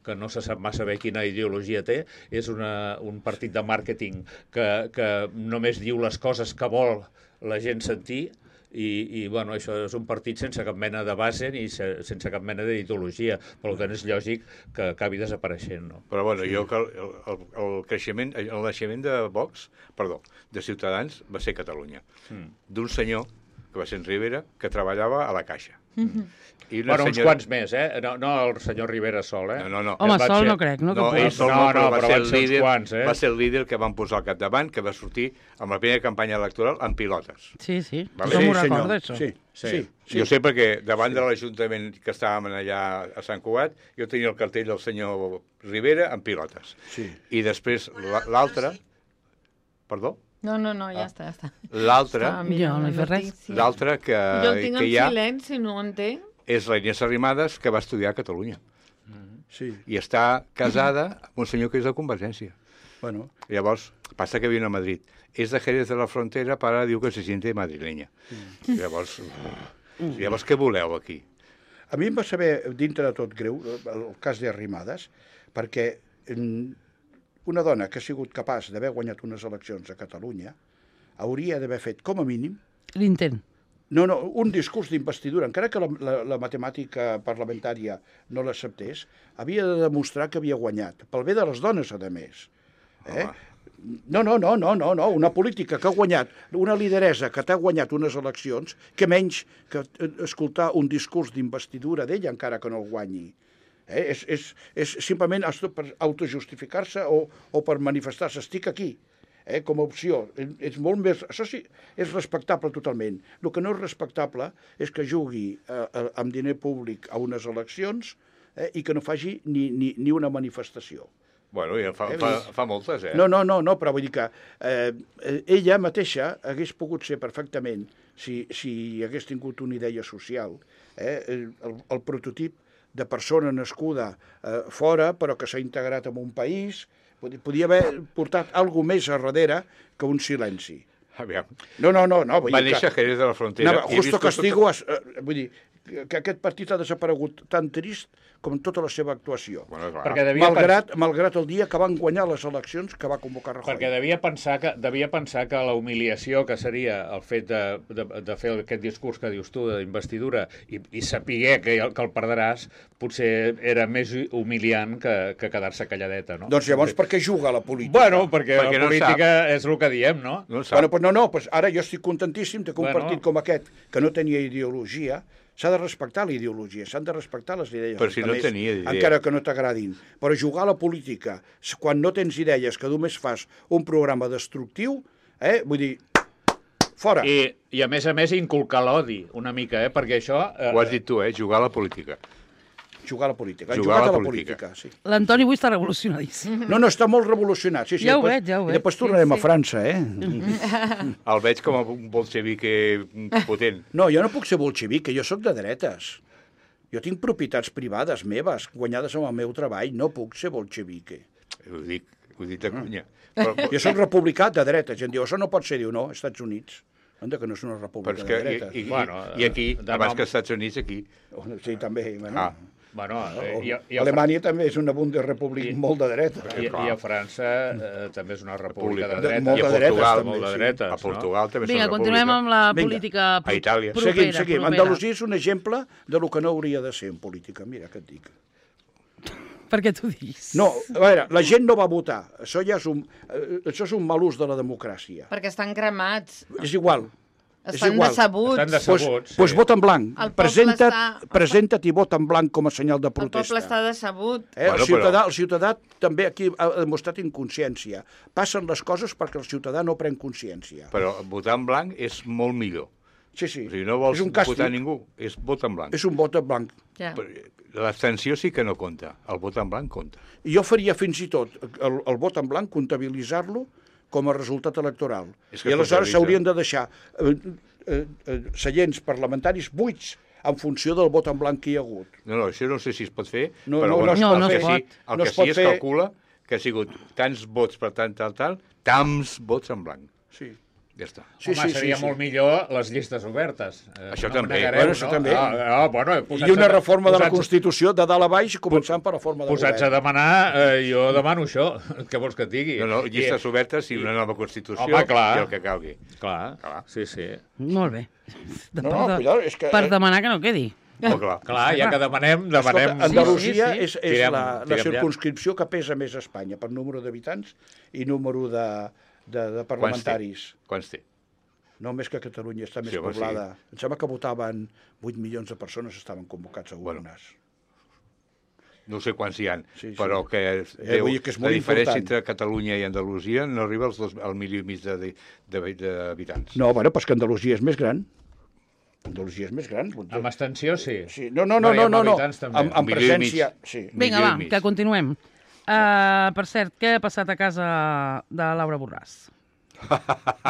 que no se sap massa bé quina ideologia té, és una, un partit de màrqueting que, que només diu les coses que vol la gent sentir i, i bueno, això és un partit sense cap mena de base ni se, sense cap mena d'ideologia. Per tant, és lògic que acabi desapareixent. No? Però bueno, sí. jo que el, el, el creixement, el naixement de Vox, perdó, de Ciutadans va ser a Catalunya. Mm. D'un senyor, que va ser en Rivera, que treballava a la Caixa. Mm-hmm. I Bueno, uns quants més, eh? No, no el senyor Rivera sol, eh? No, no, no. Home, Van sol ser- no crec, no? No, que ell pugui- sol No, no, però, no, va, però ser van el ser uns líder, quants, eh? va ser el líder que van posar al capdavant, que va sortir amb la primera campanya electoral en pilotes. Sí, sí, Vale. tothom Sí, ho recorda, senyor. això. Sí, Sí. sí. Sí. Jo sé perquè davant de l'Ajuntament que estàvem allà a Sant Cugat, jo tenia el cartell del senyor Rivera en pilotes. Sí. I després la- l'altre... Perdó? No, no, no, ja Ah. està, ja està. L'altre, Estava mirant Jo no he la fet res. notícia. l'altre que, Jo el tinc que en hi ha silenci, no ho entenc. és la Inés Arrimadas, que va estudiar a Catalunya. Sí, I està casada amb un senyor que és de Convergència. bueno, Llavors, passa que viu a Madrid. És de Jerez de la Frontera, però ara diu que se siente madrileña. Llavors, llavors, què voleu aquí? a mi em va saber, dintre de tot greu, el cas d'Arrimades, perquè mm, una dona que ha sigut capaç d'haver guanyat unes eleccions a Catalunya hauria d'haver fet, com a mínim, L'intent. no, no, un discurs d'investidura, encara que la, la, la matemàtica parlamentària no l'acceptés, havia de demostrar que havia guanyat, pel bé de les dones, a més. Eh? No, no, no, no, no, no, una política que ha guanyat, una lideresa que t'ha guanyat unes eleccions, que menys que escoltar un discurs d'investidura d'ella, encara que no el guanyi. Eh? És, és, és simplement per autojustificar-se o, o per manifestar-se. Estic aquí, eh? com a opció. És molt més... Això sí, és respectable totalment. El que no és respectable és que jugui eh, eh, amb diner públic a unes eleccions eh, i que no faci ni, ni, ni una manifestació. Bueno, ja fa, fa, fa moltes, eh? No, no, no, no, però vull dir que eh, ella mateixa hagués pogut ser perfectament, si, si hagués tingut una idea social, eh, el, el prototip de persona nascuda eh, fora, però que s'ha integrat en un país, podia haver portat alguna més a darrere que un silenci. Aviam. No, no, no. no vull Va dir néixer a que, Jerez de la Frontera. anava, i he justo vist castigo, es, eh, vull dir, que aquest partit ha desaparegut tan trist com tota la seva actuació. Bueno, clar. Perquè devia Malgrat, malgrat el dia que van guanyar les eleccions que va convocar Rajoy. Perquè devia pensar que devia pensar que la humiliació que seria el fet de, de, de fer aquest discurs que dius tu d'investidura i, i saber que, que el perdràs potser era més humiliant que, que quedar-se calladeta, no? Doncs llavors per què juga a la política? Bueno, perquè, Perquè la no política és el que diem, no? No en sap. Bueno, pues no, no, pues ara jo estic contentíssim de que un Bueno. partit com aquest, que no tenia ideologia, s'ha de respectar la ideologia, s'han de respectar les idees. Però si que no més, tenia idea. Encara que no t'agradin. Però jugar a la política, quan no tens idees, que només fas un programa destructiu, eh, vull dir, fora. I, I a més a més inculcar l'odi una mica, eh? Perquè això... Eh, Ho has dit tu, eh? Jugar a la política. Jugar a la política. Han Jugar jugat a la a la política. política, sí. L'Antoni avui està revolucionadíssim. No, no, està molt revolucionat. Sí, sí, Ja ho després, veig, ja ho I veig. després tornarem Sí, a sí. França, eh? El veig com a un bolxevique potent. No, jo no puc ser bolxevic, jo sóc de dretes. Jo tinc propietats privades meves, guanyades amb el meu treball, no puc ser bolxevique. Ho dic, ho dic de conya. Però, però, Jo sóc republicà de dretes, gent diu, això no pot ser, diu, no, Estats Units. Anda, que no és una però república és de que, i, dretes. i, Bueno, i aquí, de abans nom- que als Estats Units, aquí. Sí, també. Bueno. Ah. Bueno, eh, O- i, a- i, a, Alemanya també és una bundesrepública molt de dreta. i, i a França eh, també és una república de De- dreta. molt I a de dretes, Portugal, també, molt de sí. dretes, A Portugal també Vinga, són continuem república. amb la Vinga. política pro- A Itàlia. propera. Seguim, seguim. propera. Andalusia és un exemple de lo que no hauria de ser en política. Mira què et dic. Per què t'ho dius? No, a veure, la gent no va votar. Això ja és un, eh, això és un mal ús de la democràcia. Perquè estan cremats. És igual. És Estan igual. decebuts. Estan Doncs decebuts. pues, pues vota en blanc. El poble Presenta't, està- presenta't i vota en blanc com a senyal de El poble protesta. està decebut. Eh? Bueno, El, ciutadà, però- el ciutadà també aquí ha demostrat inconsciència. Passen les coses perquè el ciutadà no pren consciència. Però votar en blanc és molt millor. Sí, sí. O sigui, no vols és un càstig. votar ningú, és vot en blanc. És un vot en blanc. Ja. Però l'abstenció sí que no compta, el vot en blanc compta. I jo faria fins i tot el, el vot en blanc comptabilitzar-lo com a resultat electoral. És que I aleshores comptabilitza. s'haurien de deixar eh, eh, eh, seients parlamentaris buits en funció del vot en blanc que hi ha hagut. No, no, això no sé si es pot fer, No, però no, bueno, no es pot el fer. que No sí, es el no que es sí pot es fer. calcula que ha sigut tants vots per tant, tal, tal, tants vots en blanc. Sí. Ja està. Sí, Home, sí, seria sí, sí. molt millor les llistes obertes. Eh, Això no també. negareu, Bueno, això no? també. Ah, ah, bueno, I una posats a- reforma de la posats- Constitució de dalt a baix, començant per la forma de Posats a govern. demanar, eh, jo demano això. Què vols que et digui? No, no, llistes I, obertes i una nova Constitució Home, clar. i el que calgui. Clar, Clar. sí, sí. Molt bé. De, No, per, no, de- cuidado, és que... per eh, demanar que no quedi. Oh, clar. Clar, ja que demanem, demanem... Escolta, Andalusia Sí, sí, sí. és, és Tirem- la, la tirem ja. circunscripció que pesa més a Espanya per número d'habitants i número de, de, de parlamentaris. Quants té? No més que Catalunya està més Sí, home, poblada. Em sembla que votaven vuit milions de persones estaven convocats a Bueno. urnes. No sé quants hi ha, Sí, sí. però que, Eh, vull dir que és la molt diferència important. entre Catalunya i Andalusia no arriba als dos, al milió i mig de- de- de- d'habitants. No, bueno, però és que Andalusia és més gran. Andalusia és més gran. Amb abstenció, sí. Sí. No, no, no, i no, amb no, no. habitants, també. Amb, amb Un milió i mig. presència... Sí. Vinga, Milió i va, mig. que continuem. Uh, per cert, què ha passat a casa de Laura Borràs?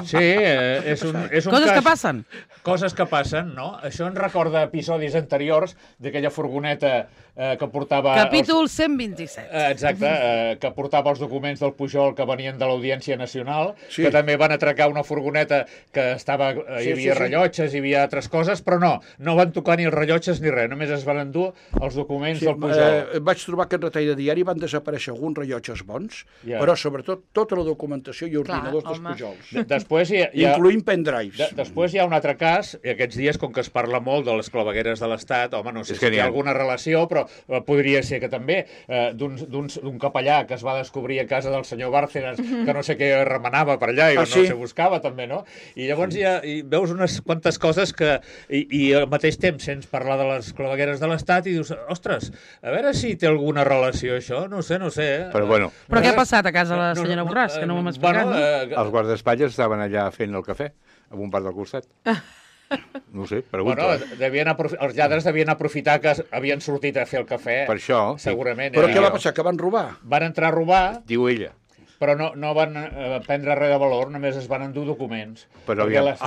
Sí, eh, és un, és un Coses cas... que passen. Coses que passen, no? Això ens recorda episodis anteriors d'aquella furgoneta eh, que portava... Capítol Els... cent vint-i-set. Eh, Exacte, eh, que portava els documents del Pujol que venien de l'Audiència Nacional, Sí. que també van atracar una furgoneta que estava, eh, Sí, hi havia sí, sí. rellotges, hi havia altres coses, però no, no van tocar ni els rellotges ni res, només es van endur els documents Sí, del Pujol. eh, vaig trobar que en retall de diari van desaparèixer alguns rellotges bons, Ja. però sobretot tota la documentació i ordinadors Clar, dels home. Pujols, De- Després hi ha, hi ha, incloent pendrives. de, després hi ha un altre cas, i aquests dies, com que es parla molt de les clavegueres de l'Estat, home, no sé És si que hi n'hi ha ha. alguna relació, però eh, podria ser que també, eh, d'un d'un- d'un capellà que es va descobrir a casa del senyor Bárcenas, que no sé què remenava per allà i Ah, no sí? se buscava també, no? I llavors hi ha, i veus unes quantes coses que... I, i al mateix temps sents parlar de les clavegueres de l'Estat i dius, ostres, a veure si té alguna relació això, no sé, no sé. Eh? Però bueno, Però què ha Eh, passat a casa de la senyora Borràs, que no m'ho hem explicat, bueno, no? eh, els guardaespatlles estaven allà fent el cafè, en un bar del costat. No ho sé, pregunta. Bueno, devien aprofi- els lladres devien aprofitar que havien sortit a fer el cafè. Per això, sí. Segurament. Però eh? què va passar? Que van robar? Van entrar a robar, Diu ella. però no, no van eh, prendre res de valor, només es van endur documents. Però Perquè aviam. Les...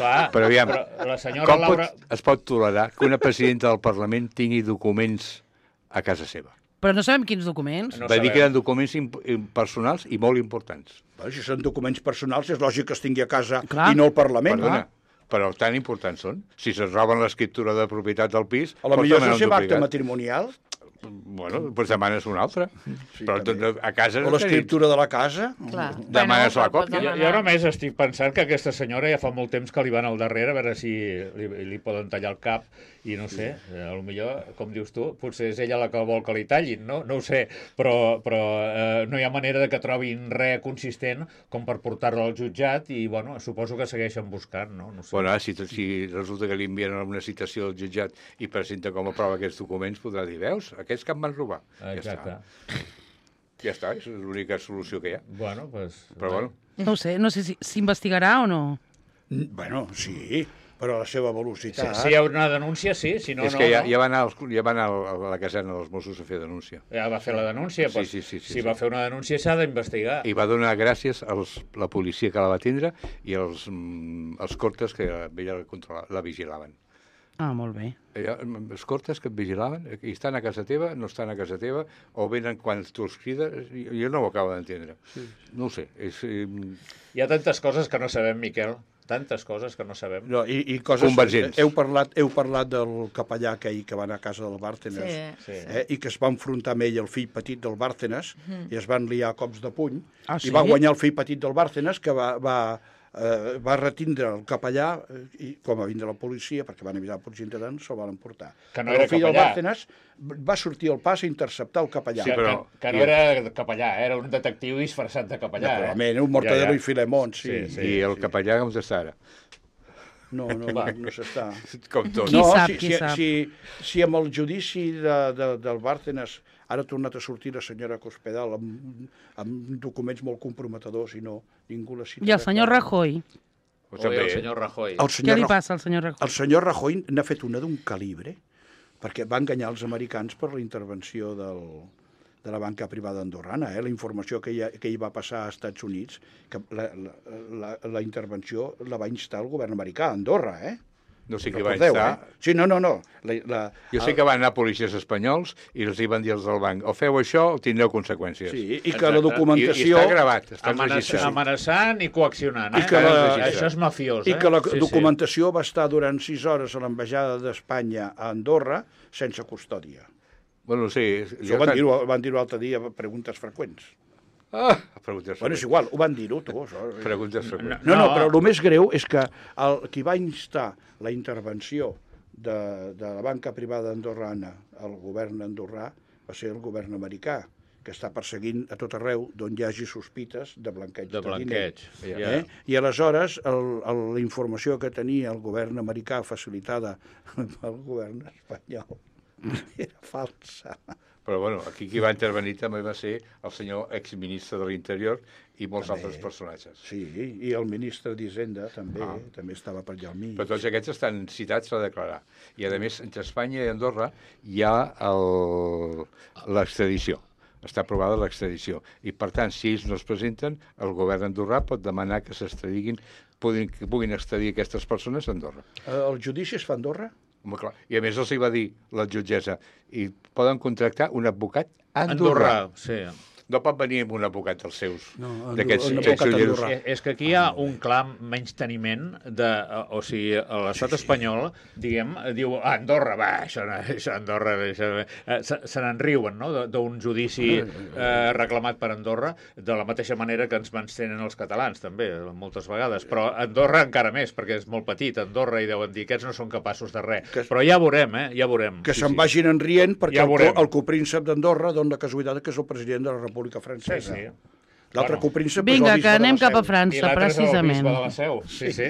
Clar, Però aviam, però la senyora Com Laura... pot, es pot tolerar que una presidenta del Parlament tingui documents a casa seva? Però no sabem quins documents. No Va dir sabem. que eren documents imp personals i molt importants. Bueno, si són documents personals, és lògic que es tingui a casa Clar. i no al Parlament. Perdona, però tan importants són. Si se'n roben l'escriptura de propietat del pis... A la pots millor és demanar el un seu acte duplicat. matrimonial Bueno, doncs demanes una altra. Sí, Però també. tot, a casa... o l'escriptura de la casa. Clar. Demanes la però pots còpia. Jo, demanar. jo només estic pensant que aquesta senyora ja fa molt temps que li van al darrere a veure si li, li poden tallar el cap i no sé, eh, a lo millor, com dius tu, potser és ella la que vol que li tallin, no? No ho sé, però, però eh, no hi ha manera de que trobin res consistent com per portar-la al jutjat i, bueno, suposo que segueixen buscant, no? No sé. Bueno, si, si resulta que li envien una citació al jutjat i presenta com a prova aquests documents, podrà dir, veus, aquests que em van robar. Exacte. Ja està, ja està és l'única solució que hi ha. Bueno, pues... Però bueno, No ho sé, no sé si s'investigarà o no. Bueno, sí, però a la seva Si, velocitat... si hi ha una denúncia, sí, si no, és no. que ja, no. ja va anar, als, ja va anar a la caserna dels Mossos a fer denúncia. Ja va fer la denúncia, Sí, doncs, sí, sí, sí, si sí. va fer una denúncia s'ha d'investigar. I va donar gràcies a la policia que la va tindre i als, mm, als cortes que ella la, controla, la vigilaven. Ah, molt bé. Ella, els cortes que et vigilaven, i estan a casa teva, no estan a casa teva, o venen quan tu els crides, jo no ho acabo d'entendre. Sí. No ho sé. És, eh, Hi ha tantes coses que no sabem, Miquel, tantes coses que no sabem. No, i, i coses... Convergents. Heu parlat, heu parlat del capellà aquell que va anar a casa del Bárcenas, Sí. Sí. eh, i que es va enfrontar amb ell, el fill petit del Bárcenas, i es van liar a cops de puny, Ah, i sí? va guanyar el fill petit del Bárcenas, que va, va, eh, va retindre el capellà eh, i com a vindre la policia, perquè van avisar la policia interna, se'l van emportar. Que no Però era el fill del capellà. Bárcenas va sortir al pas a interceptar el capellà. Sí, però- que, que no era capellà, era un detectiu disfressat de capellà. Naturalment, eh? un Mortadelo Ja, ja. i Filemón, sí. Sí, sí. I el capellà com està ara? No, no, no, no s'està. Com tot. Qui no, sap, si, qui si, sap. Si, si amb el judici de, de, del Bárcenas ara ha tornat a sortir la senyora Cospedal amb, amb documents molt comprometedors i no, ningú la cita. I el senyor Rajoy? Ho Oi, també, el senyor Rajoy. El Què senyor, li Ra- passa al senyor Rajoy? el senyor Rajoy n'ha fet una d'un calibre, perquè va enganyar els americans per la intervenció del, de la banca privada andorrana. Eh? La informació que hi, que hi va passar als Estats Units, que la, la, la, la intervenció la va instar el govern americà a Andorra, eh? no sé qui va Recordeu, instar. eh? Sí, no, no, no. La, la, Jo sé que van anar policies espanyols i els hi van dir els del banc, o feu això o tindreu conseqüències. Sí, i que Exacte. la I, I documentació... està gravat, està Amenaç, enregistrat. amenaçant i coaccionant. Eh? I que la- Això és mafiós, eh? I que la Sí, sí. documentació va estar durant sis hores a l'ambaixada d'Espanya a Andorra sense custòdia. Bueno, sí. Això van dir-ho van dir l'altre dia a preguntes freqüents. Ah, preguntes Bueno, és freqüents. igual, ho van dir-ho, tu. Això. Preguntes freqüents. No, no, No. però el més greu és que el, qui va instar la intervenció de, de la banca privada andorrana al govern andorrà va ser el govern americà, que està perseguint a tot arreu d'on hi hagi sospites de blanqueig De de, blanqueig. diner. Ja. Eh? I aleshores el, el, la informació que tenia el govern americà facilitada pel govern espanyol era falsa. Però bueno, aquí qui va intervenir també va ser el senyor exministre de l'Interior i molts També. altres personatges. Sí, i el ministre d'Hisenda també, Ah. també estava per allà al mig. Però tots aquests estan citats a declarar. I, a més, entre Espanya i Andorra hi ha el- l'extradició. Està aprovada l'extradició. I, per tant, si ells no es presenten, el govern andorrà pot demanar que s'extradiguin, puguin, que puguin extradir aquestes persones a Andorra. Eh, El judici es fa a Andorra? Home, clar. I, a més, els hi va dir la jutgessa, i poden contractar un advocat andorrà. Andorrà, sí. No pot venir amb un advocat dels seus, No, Andorra- d'aquests un aquests advocat ulleros. andorrà. És, és que aquí hi ha un clar menysteniment de, o sigui, l'estat espanyol, diguem, diu, ah, Andorra, va, això, no- això Andorra, això, eh, se, se n'en riuen, no?, de- d'un judici eh, reclamat per Andorra, de la mateixa manera que ens menystenen els catalans, també, moltes vegades, però Andorra encara més, perquè és molt petit, Andorra, i deuen dir, aquests no són capaços de res. Que- Però ja veurem, eh, ja veurem. Que Sí, se'n sí. vagin en rient perquè Ja el, veurem. co- el copríncep d'Andorra dona la casualitat que és el president de la República Francesa. Sí, sí. L'altre Bueno. copríncep Vinga, és el que bisbe de anem la cap a Seu. I França, l'altre és el precisament. bisbe de la Seu, sí, sí.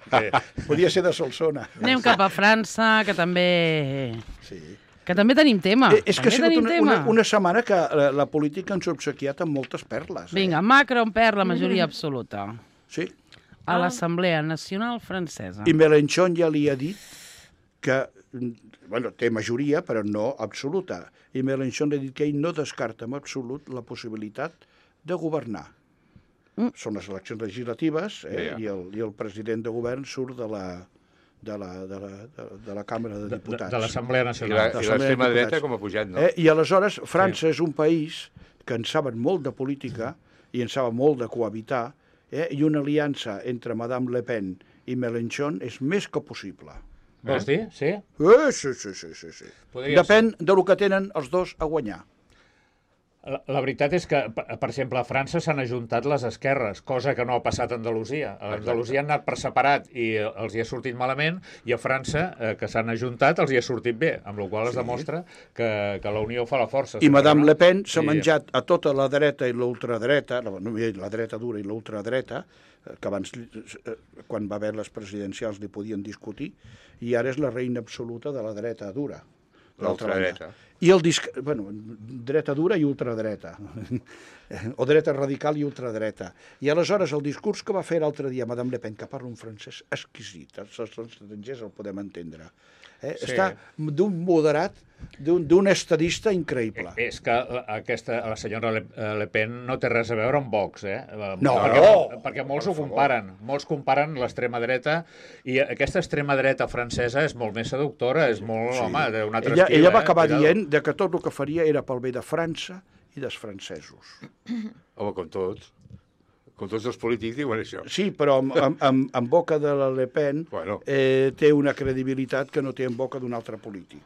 sí. Podia ser de Solsona. Anem cap a França, que també... Sí. Que també tenim tema. Eh, és que ha també sigut tenim una, tema. una, una setmana que la, la política ens ha obsequiat amb moltes perles. Eh? Vinga, Macron perd la majoria absoluta Sí. a l'Assemblea Nacional Francesa. I Mélenchon ja li ha dit que, bueno, té majoria, però no absoluta. I Mélenchon ha dit que ell no descarta en absolut la possibilitat de governar. Mm. Són les eleccions legislatives eh? Ja, ja. I, el, i el president de govern surt de la, de la, de la, de, de la Càmera de De, Diputats. de l'Assemblea I la- Nacional. i L'Assemblea de l'extrema dreta Diputats. com ha pujat, no? Eh? I aleshores França sí. és un país que en saben molt de política i en saben molt de cohabitar, eh? I una aliança entre Madame Le Pen i Mélenchon és més que possible. Vols dir? Sí? Eh, sí, sí, sí, sí, sí. Podria Depèn de lo que tenen els dos a guanyar. La, la veritat és que, per, per exemple, a França s'han ajuntat les esquerres, cosa que no ha passat a Andalusia. A Andalusia han anat per separat i eh, els hi ha sortit malament, i a França, eh, que s'han ajuntat, els hi ha sortit bé, amb la qual cosa es demostra que, que la unió fa la força. I sempre, Madame no? Le Pen s'ha Sí. menjat a tota la dreta i l'ultradreta, la, no, la dreta dura i l'ultradreta, eh, que abans, eh, quan va haver les presidencials, li podien discutir, i ara és la reina absoluta de la dreta dura. d'altra banda. L'ultradreta. I el disc... bueno, dreta dura i ultradreta. O dreta radical i ultradreta. I aleshores el discurs que va fer l'altre dia Madame Le Pen, que parla un francès exquisit, els estrangers el podem entendre, eh? Sí. Està d'un moderat, d'un d'un estadista increïble. És que la- aquesta, la senyora Le, Le Pen no té res a veure amb Vox, eh? No, perquè, no. perquè molts ho comparen. Molts comparen l'extrema dreta, i aquesta extrema dreta francesa és molt més seductora, és molt, sí. home, d'un altre Ella, estil. ella va eh? acabar Cuidado. dient de que tot el que faria era pel bé de França i dels francesos. Home, com tots. Com tots els polítics diuen això. Sí, però en, en, en, en boca de la Le Pen Bueno. eh, té una credibilitat que no té en boca d'un altre polític.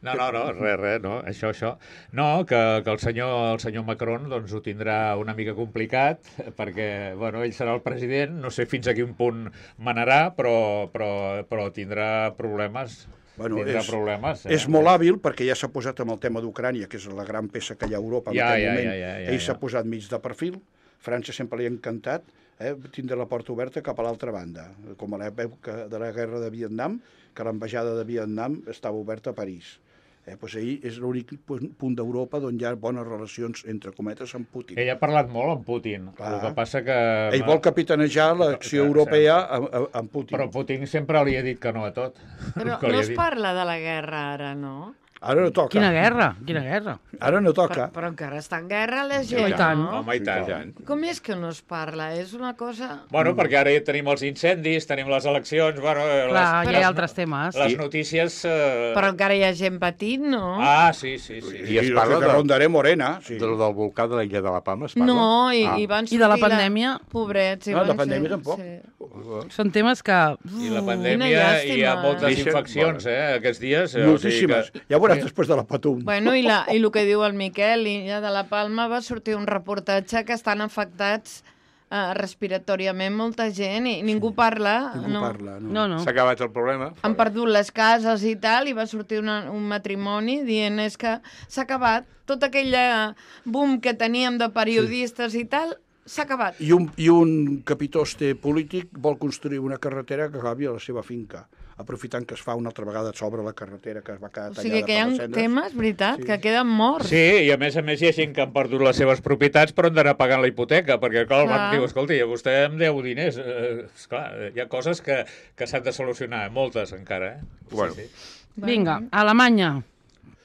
No, no, no, res, res, no, això, això. No, que, que el, senyor, el senyor Macron doncs, ho tindrà una mica complicat, perquè, bueno, ell serà el president, no sé fins a quin punt manarà, però, però, però tindrà problemes. Bueno, tindrà és, problemes. Eh? és molt hàbil perquè ja s'ha posat amb el tema d'Ucrània, que és la gran peça que hi ha a Europa en Ja, aquest ja, moment. ja, ja, ja, Ell ja. s'ha posat mig de perfil, França sempre li ha encantat, eh, tindre la porta oberta cap a l'altra banda, com a l'època de la guerra de Vietnam, que l'ambaixada de Vietnam estava oberta a París. Eh, doncs ahir és l'únic punt d'Europa on hi ha bones relacions, entre cometes, amb Putin. Ell ha parlat molt amb Putin, Clar. el que passa que... Ell vol capitanejar l'acció europea amb, amb Putin. Però Putin sempre li ha dit que no a tot. Però Que li no ha es dit. parla de la guerra ara, no? Ara no toca. Quina guerra, quina guerra. Ara no toca. Però, però encara està en guerra la gent, I tant. no? Home, i tant. tant. Com és que no es parla? És una cosa... Bueno, perquè ara ja tenim els incendis, tenim les eleccions, bueno... eh, Clar, les, hi les- ha altres temes. Les notícies... Eh... Però encara hi ha gent patint, no? Ah, sí, sí, sí. I, I es I parla de de- Rondaré Morena. Sí. Del, del volcà de l'illa de la Palma es parla? No, i, Ah. i van I de la sortir pandèmia? Pobrets. I No, de van pandèmia ser- tampoc. Sí. Són temes que... I la Quina pandèmia, hi ha llàstima. moltes Deixen- infeccions, eh, aquests dies. eh, Moltíssimes. O sigui Ja veuràs després de la Patum. Bueno, i, la, i el que diu el Miquel, l'illa de la Palma, va sortir un reportatge que estan afectats eh, respiratòriament molta gent i ningú parla. Ningú no. parla. No. No, no. S'ha acabat el problema? Han perdut les cases i tal, i va sortir una, un matrimoni dient és que s'ha acabat. Tot aquell eh, boom que teníem de periodistes i tal, s'ha acabat. I un, I un capitoste polític vol construir una carretera que acabi a la seva finca, aprofitant que es fa una altra vegada sobre la carretera que es va quedar O tallada sigui que hi ha per les cendres. temes, veritat, Sí. que queden morts. Sí, i a més a més hi ha gent que han perdut les seves propietats però han d'anar pagant la hipoteca, perquè clar, el Clar. banc diu, escolti, vostè em deu diners. Eh, esclar, hi ha coses que, que s'han de solucionar, moltes encara. Eh? Bueno. Sí, sí. Vinga, Alemanya.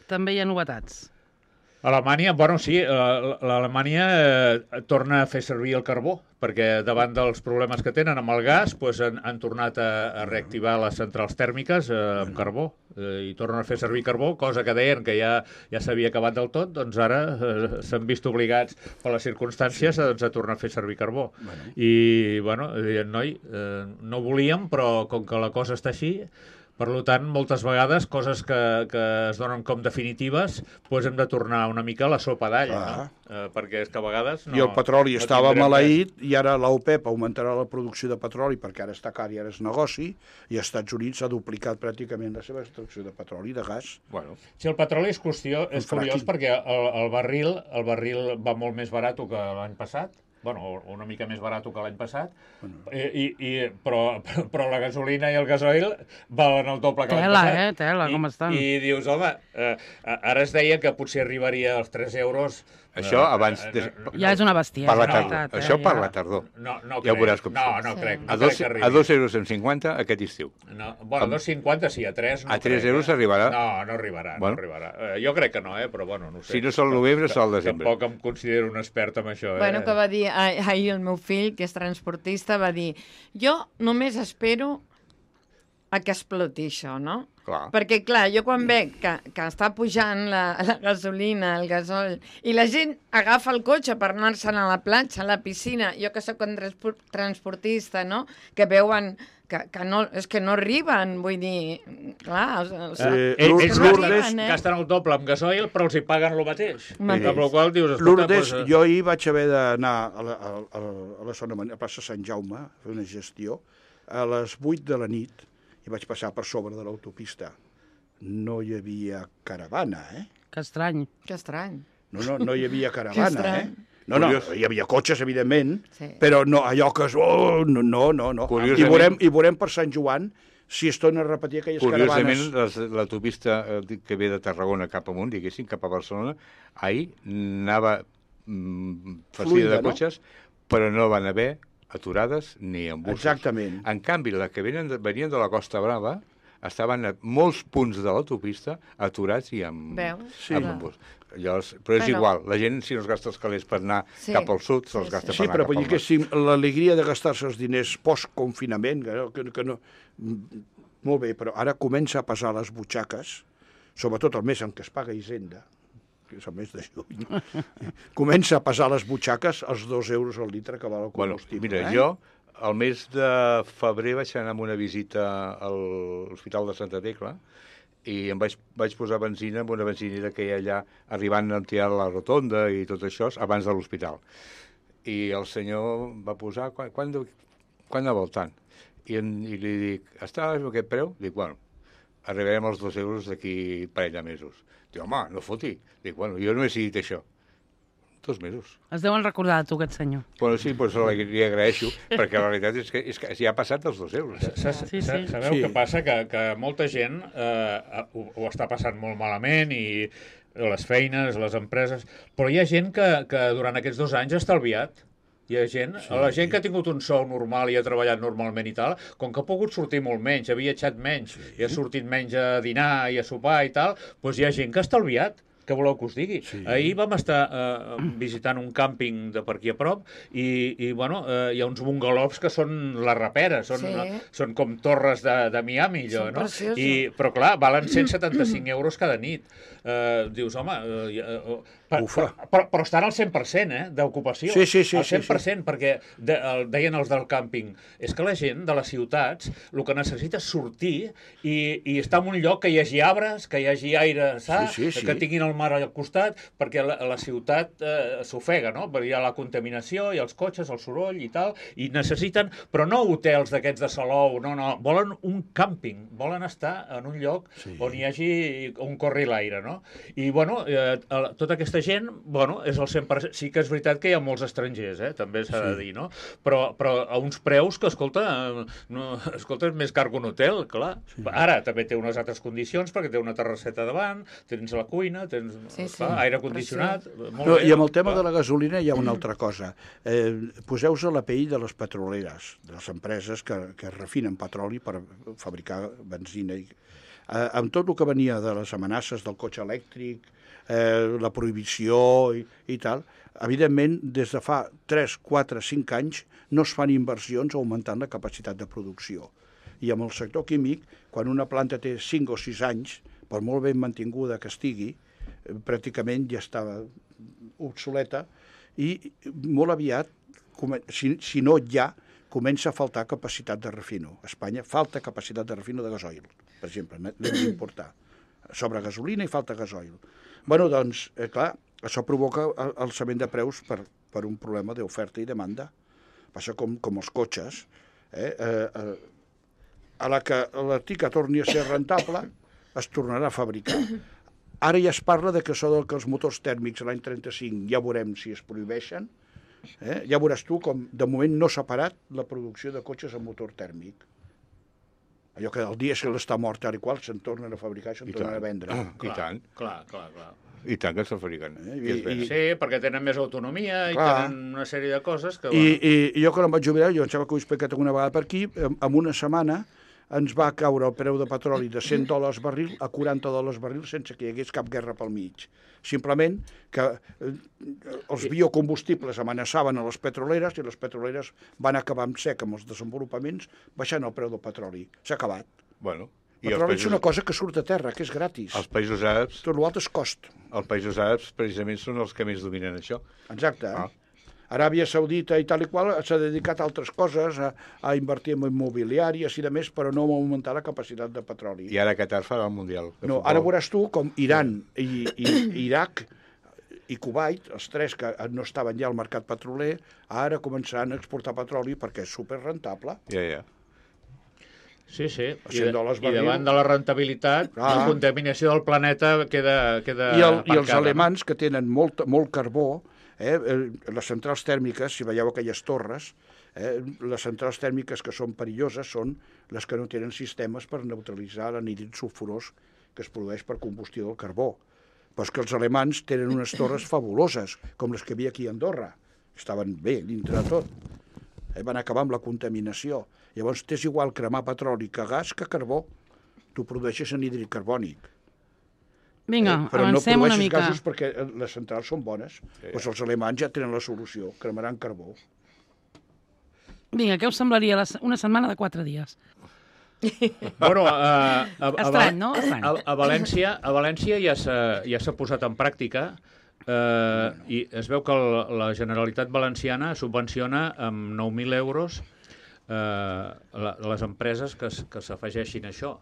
També hi ha novetats. Alemanya, bueno, sí, eh, l'Alemanya eh, torna a fer servir el carbó, perquè davant dels problemes que tenen amb el gas doncs han, han tornat a, a reactivar les centrals tèrmiques eh, amb carbó eh, i tornen a fer servir carbó, cosa que deien que ja, ja s'havia acabat del tot, doncs ara eh, s'han vist obligats per les circumstàncies doncs, a tornar a fer servir carbó. Bueno. I, bueno, deien, noi, eh, no volíem, però com que la cosa està així, per tant, moltes vegades, coses que, que es donen com definitives, doncs hem de tornar una mica a la sopa d'all, Clar. no? Eh, perquè és que a vegades no... I el petroli no estava tindrem maleït i ara l'OPEP augmentarà la producció de petroli perquè ara està car i ara és negoci i els Estats Units ha duplicat pràcticament la seva extracció de petroli i de gas. Bueno, res. Si el petroli és qüestió, és El curiós fracking. perquè el, el, barril, el barril va molt més barat que l'any passat, bueno, o una mica més barat que l'any passat, Bueno. i, i, però, però la gasolina i el gasoil valen el doble que l'any Tela, passat. eh? Tela, I, com estan. I dius, home, eh, ara es deia que potser arribaria als tres euros. això eh, abans... eh, Des... no, Ja és una bestiesa. Per la la tardor. veritat, eh? Això per Ja. la tardor. No, no Ja ho crec. veuràs com No, surt. no Sí. crec. No A crec dos, que arribi. a dos euros amb cinquanta aquest estiu. No, bueno, a dos cinquanta sí, a tres no A tres crec, euros eh? arribarà? No, no arribarà, Bueno. no arribarà. Eh, jo crec que no, eh, però bueno, no ho sé. Si no sol novembre, sol desembre. Tampoc em considero un expert en això, eh? Bueno, que va dir ah- ahir el meu fill, que és transportista, va dir jo només espero a que exploti això, no? Clar. Perquè, clar, jo quan veig que, que està pujant la, la gasolina, el gasol, i la gent agafa el cotxe per anar-se'n a la platja, a la piscina, jo que sóc un transpor- transportista, no?, que veuen que, que no, és que no arriben, vull dir, clar... Els, els, Eh, Ells, Lourdes- ells Lourdes- gasten, gasten el doble amb gasoil, però els hi paguen el mateix. Mateix. Amb la qual dius, escolta, Lourdes, doncs, jo ahir vaig haver d'anar a la, a, a, a la zona, a plaça Sant Jaume, a fer una gestió, a les vuit de la nit, i vaig passar per sobre de l'autopista. No hi havia caravana, eh? Que estrany. Que estrany. No, no, no hi havia Que caravana, estrany. eh? No, no, Curiós. hi havia cotxes, evidentment, Sí. però no, allò que és... Oh, no, no, no. no. I, Curiosament- veurem, I veurem per Sant Joan si es torna a repetir aquelles Curiosament, caravanes. les- l'autopista eh, que ve de Tarragona cap amunt, diguéssim, cap a Barcelona, ahir anava mm, farcida Fluida, de no? cotxes, però no van haver aturades ni embussos. Exactament. En canvi, la que venien de, venien de la Costa Brava estaven a molts punts de l'autopista aturats i amb, Veus? Sí. amb embús. Llavors, però és Bueno. igual, la gent si no es gasta els calés per anar Sí. cap al sud, se'ls Sí, gasta sí. Sí, per anar però cap vull al dir que nord. si l'alegria de gastar-se els diners post-confinament, que, no- que, que no... mm, Molt bé, però ara comença a pesar les butxaques, sobretot el mes en què es paga Hisenda, que és el mes de juny, comença a pesar les butxaques els dos euros al litre que val el Bueno, combustible. mira, eh? jo el mes de febrer vaig anar amb una visita a l'Hospital de Santa Tecla i em vaig, vaig posar benzina en una benzinera que hi ha allà, arribant a tirar la rotonda i tot això, abans de l'hospital. I el senyor va posar, quan, quan, quan anava al tant? I, en, I li dic, està a aquest preu? Dic, bueno, arribarem als dos euros d'aquí un parell de mesos. Dic, home, no foti. Dic, bueno, jo no he decidit això. Dos mesos. Es deuen recordar de tu, aquest senyor. Bueno, sí, doncs li, li agraeixo, perquè la veritat és que, és que ja ha passat els dos euros. Eh? Sa- Sí, sí. sa- Sabeu Sí. què passa? Que, que molta gent eh, ho, ho està passant molt malament i les feines, les empreses... Però hi ha gent que, que durant aquests dos anys ha estalviat. Hi ha gent, sí. La gent que ha tingut un sou normal i ha treballat normalment i tal, com que ha pogut sortir molt menys, ha viatjat menys, sí. i ha sortit menys a dinar i a sopar i tal, doncs hi ha gent que ha estalviat. Què voleu que us digui? Sí. Ahir vam estar eh, visitant un càmping de per aquí a prop i, i bueno, eh, hi ha uns bungalows que són la rapera, són, Sí. eh, són com torres de, de Miami, allò, Són no? preciosos. I, però clar, valen cent setanta-cinc euros cada nit. Eh, dius, home... Eh, eh, per, Ufa. però, però estan al cent per cent, eh, d'ocupació. Sí, sí, sí, al cent per cent, sí, perquè de, el, deien els del càmping, és que la gent de les ciutats el que necessita és sortir i, i estar en un lloc que hi hagi arbres, que hi hagi aire sa, Sí, sí, sí. que tinguin el mar al costat, perquè la, la ciutat eh, s'ofega, no? Perquè hi ha la contaminació, hi ha els cotxes, el soroll i tal, i necessiten, però no hotels d'aquests de Salou, no, no, volen un càmping, volen estar en un lloc Sí. on hi hagi, on corri l'aire, no? I, bueno, eh, tota aquesta gent, bueno, és el cent per cent. Sí que és veritat que hi ha molts estrangers, eh? També s'ha de dir, no? Però, però a uns preus que, escolta, eh, no, escolta, és més car que un hotel, clar. Sí. Ara també té unes altres condicions, perquè té una terrasseta davant, tens la cuina, tens Sí, sí. clar, aire condicionat... Molt No, bé, I amb el tema clar. de la gasolina hi ha una altra cosa. Eh, Poseu-vos a la pell de les petroleres, de les empreses que, que refinen petroli per fabricar benzina. I, eh, amb tot el que venia de les amenaces del cotxe elèctric, eh, la prohibició i, i tal, evidentment, des de fa tres, quatre, cinc anys no es fan inversions augmentant la capacitat de producció. I amb el sector químic, quan una planta té cinc o sis anys, per molt ben mantinguda que estigui, eh, pràcticament ja està obsoleta i molt aviat, come- si, si no ja, comença a faltar capacitat de refino. A Espanya falta capacitat de refino de gasoil, per exemple, n'hem d'importar. Sobre gasolina i falta gasoil. Bueno, doncs, eh, clar, això provoca el- alçament de preus per, per un problema d'oferta i demanda. Passa com, com els cotxes. Eh? Eh, eh, a la que l'Artica torni a ser rentable, es tornarà a fabricar. Ara ja es parla de que això del que els motors tèrmics l'any trenta-cinc ja veurem si es prohibeixen. Eh? Ja veuràs tu com de moment no s'ha parat la producció de cotxes amb motor tèrmic. Allò que el dia que l'està mort tal i qual se'n tornen a fabricar, se'n I tornen tant. a vendre. Ah, I tant. Clar, clar, clar. I tant que se'n fabriquen. Eh, I, és i- bé. i- Sí, perquè tenen més autonomia i Clar. tenen una sèrie de coses que... I, i, I jo quan em vaig jubilar, jo em sembla que ho he explicat alguna vegada per aquí, en, en una setmana ens va caure el preu de petroli de cent dòlars barril a quaranta dòlars barril sense que hi hagués cap guerra pel mig. Simplement que eh, els biocombustibles amenaçaven a les petroleres i les petroleres van acabar amb sec amb els desenvolupaments baixant el preu del petroli. S'ha acabat. Bueno, El i els petroli és països, una cosa que surt a terra, que és gratis. els països àrabs, Tot l'altre és cost. els països àrabs precisament són els que més dominen això. Exacte. Ah. Aràbia Saudita i tal i qual s'ha dedicat a altres coses, a, a invertir en immobiliàries i de més, però no a augmentar la capacitat de petroli. I ara Qatar farà el Mundial. de No, futbol. ara veuràs tu com Iran i, i Iraq i Kuwait, els tres que no estaven ja al mercat petroler, ara començaran a exportar petroli perquè és superrentable. Ja, ja. Sí, sí. I, cent de, dòlars i barril. davant de la rentabilitat, Ah. la contaminació del planeta queda, queda I, el, I els aparcada, no? alemans, que tenen molt, molt carbó, eh, eh, les centrals tèrmiques, si veieu aquelles torres, eh, les centrals tèrmiques que són perilloses són les que no tenen sistemes per neutralitzar l'anhídrid sulfurós que es produeix per combustió del carbó. Però és que els alemans tenen unes torres fabuloses, com les que hi havia aquí a Andorra. Estaven bé dintre de tot. Eh, van acabar amb la contaminació. Llavors, t'és igual cremar petroli que gas que carbó. Tu produeixes anhídrid carbònic. Vinga, Eh, però no avancem una produeixes mica. gasos perquè eh, les centrals són bones. ja. Doncs els alemanys ja tenen la solució, cremaran carbó. Vinga, què us semblaria la se- una setmana de quatre dies? Bueno, a, a, a, Estrany, no? Estrany. A, a València, a València ja s'ha ja s'ha posat en pràctica eh, i es veu que el, la Generalitat Valenciana subvenciona amb nou mil euros eh, la, les empreses que, s- que s'afegeixin a això.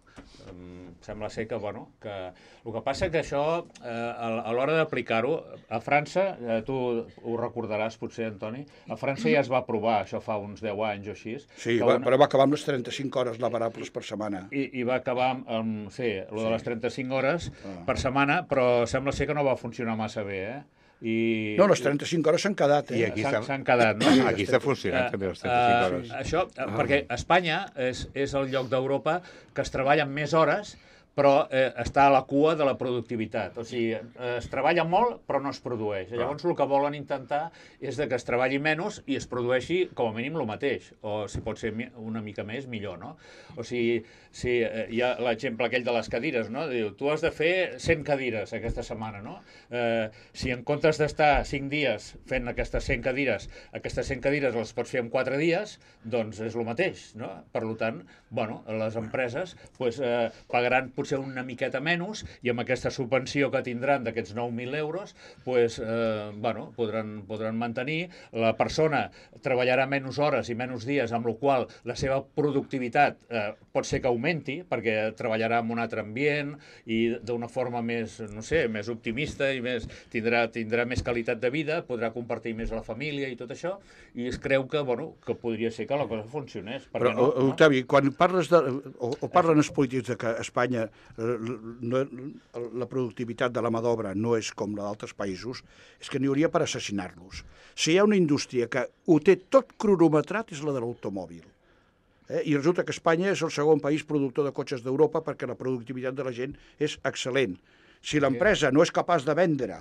Em sembla ser que, bueno, que el que passa que això, eh, a, a l'hora d'aplicar-ho, a França, eh, tu ho recordaràs potser, Antoni, a França ja es va aprovar, això fa uns deu anys o així. Sí, que va, una- però va acabar amb les trenta-cinc hores lavarables per setmana. i, i va acabar amb, amb sí, lo de les trenta-cinc hores Ah. per setmana, però sembla ser que no va funcionar massa bé, eh? I, No, les trenta-cinc hores s'han quedat, I eh? aquí s'han està- s'han quedat, no? Aquí està funcionant també les trenta-cinc Eh, hores. eh, Això, eh, perquè Espanya és, és el lloc d'Europa que es treballa amb més hores, però eh, està a la cua de la productivitat. O sigui, eh, es treballa molt, però no es produeix. Llavors, el que volen intentar és de que es treballi menys i es produeixi, com a mínim, el mateix. O, si pot ser mi- una mica més, millor, no? O sigui, si eh, hi ha l'exemple aquell de les cadires, no? Diu, tu has de fer cent cadires aquesta setmana, no? Eh, si en comptes d'estar cinc dies fent aquestes cent cadires, aquestes cent cadires les pots fer en quatre dies, doncs és el mateix, no? Per tant, bueno, les empreses pues, eh, pagaran potser una miqueta menys i amb aquesta subvenció que tindran d'aquests nou mil euros pues, eh, bueno, podran, podran mantenir. La persona treballarà menys hores i menys dies, amb la qual la seva productivitat eh, pot ser que augmenti, perquè treballarà en un altre ambient i d'una forma més, no sé, més optimista i més, tindrà, tindrà més qualitat de vida, podrà compartir més a la família i tot això, i es creu que, bueno, que podria ser que la cosa funcionés. Per Però, què no? no? Octavi, quan parles de, o, o parlen els polítics de que a Espanya eh, no, la productivitat de la mà d'obra no és com la d'altres països, és que n'hi hauria per assassinar-los. Si hi ha una indústria que ho té tot cronometrat és la de l'automòbil. Eh? I resulta que Espanya és el segon país productor de cotxes d'Europa perquè la productivitat de la gent és excel·lent. Si l'empresa no és capaç de vendre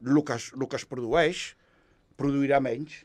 el que es, el que es produeix, produirà menys.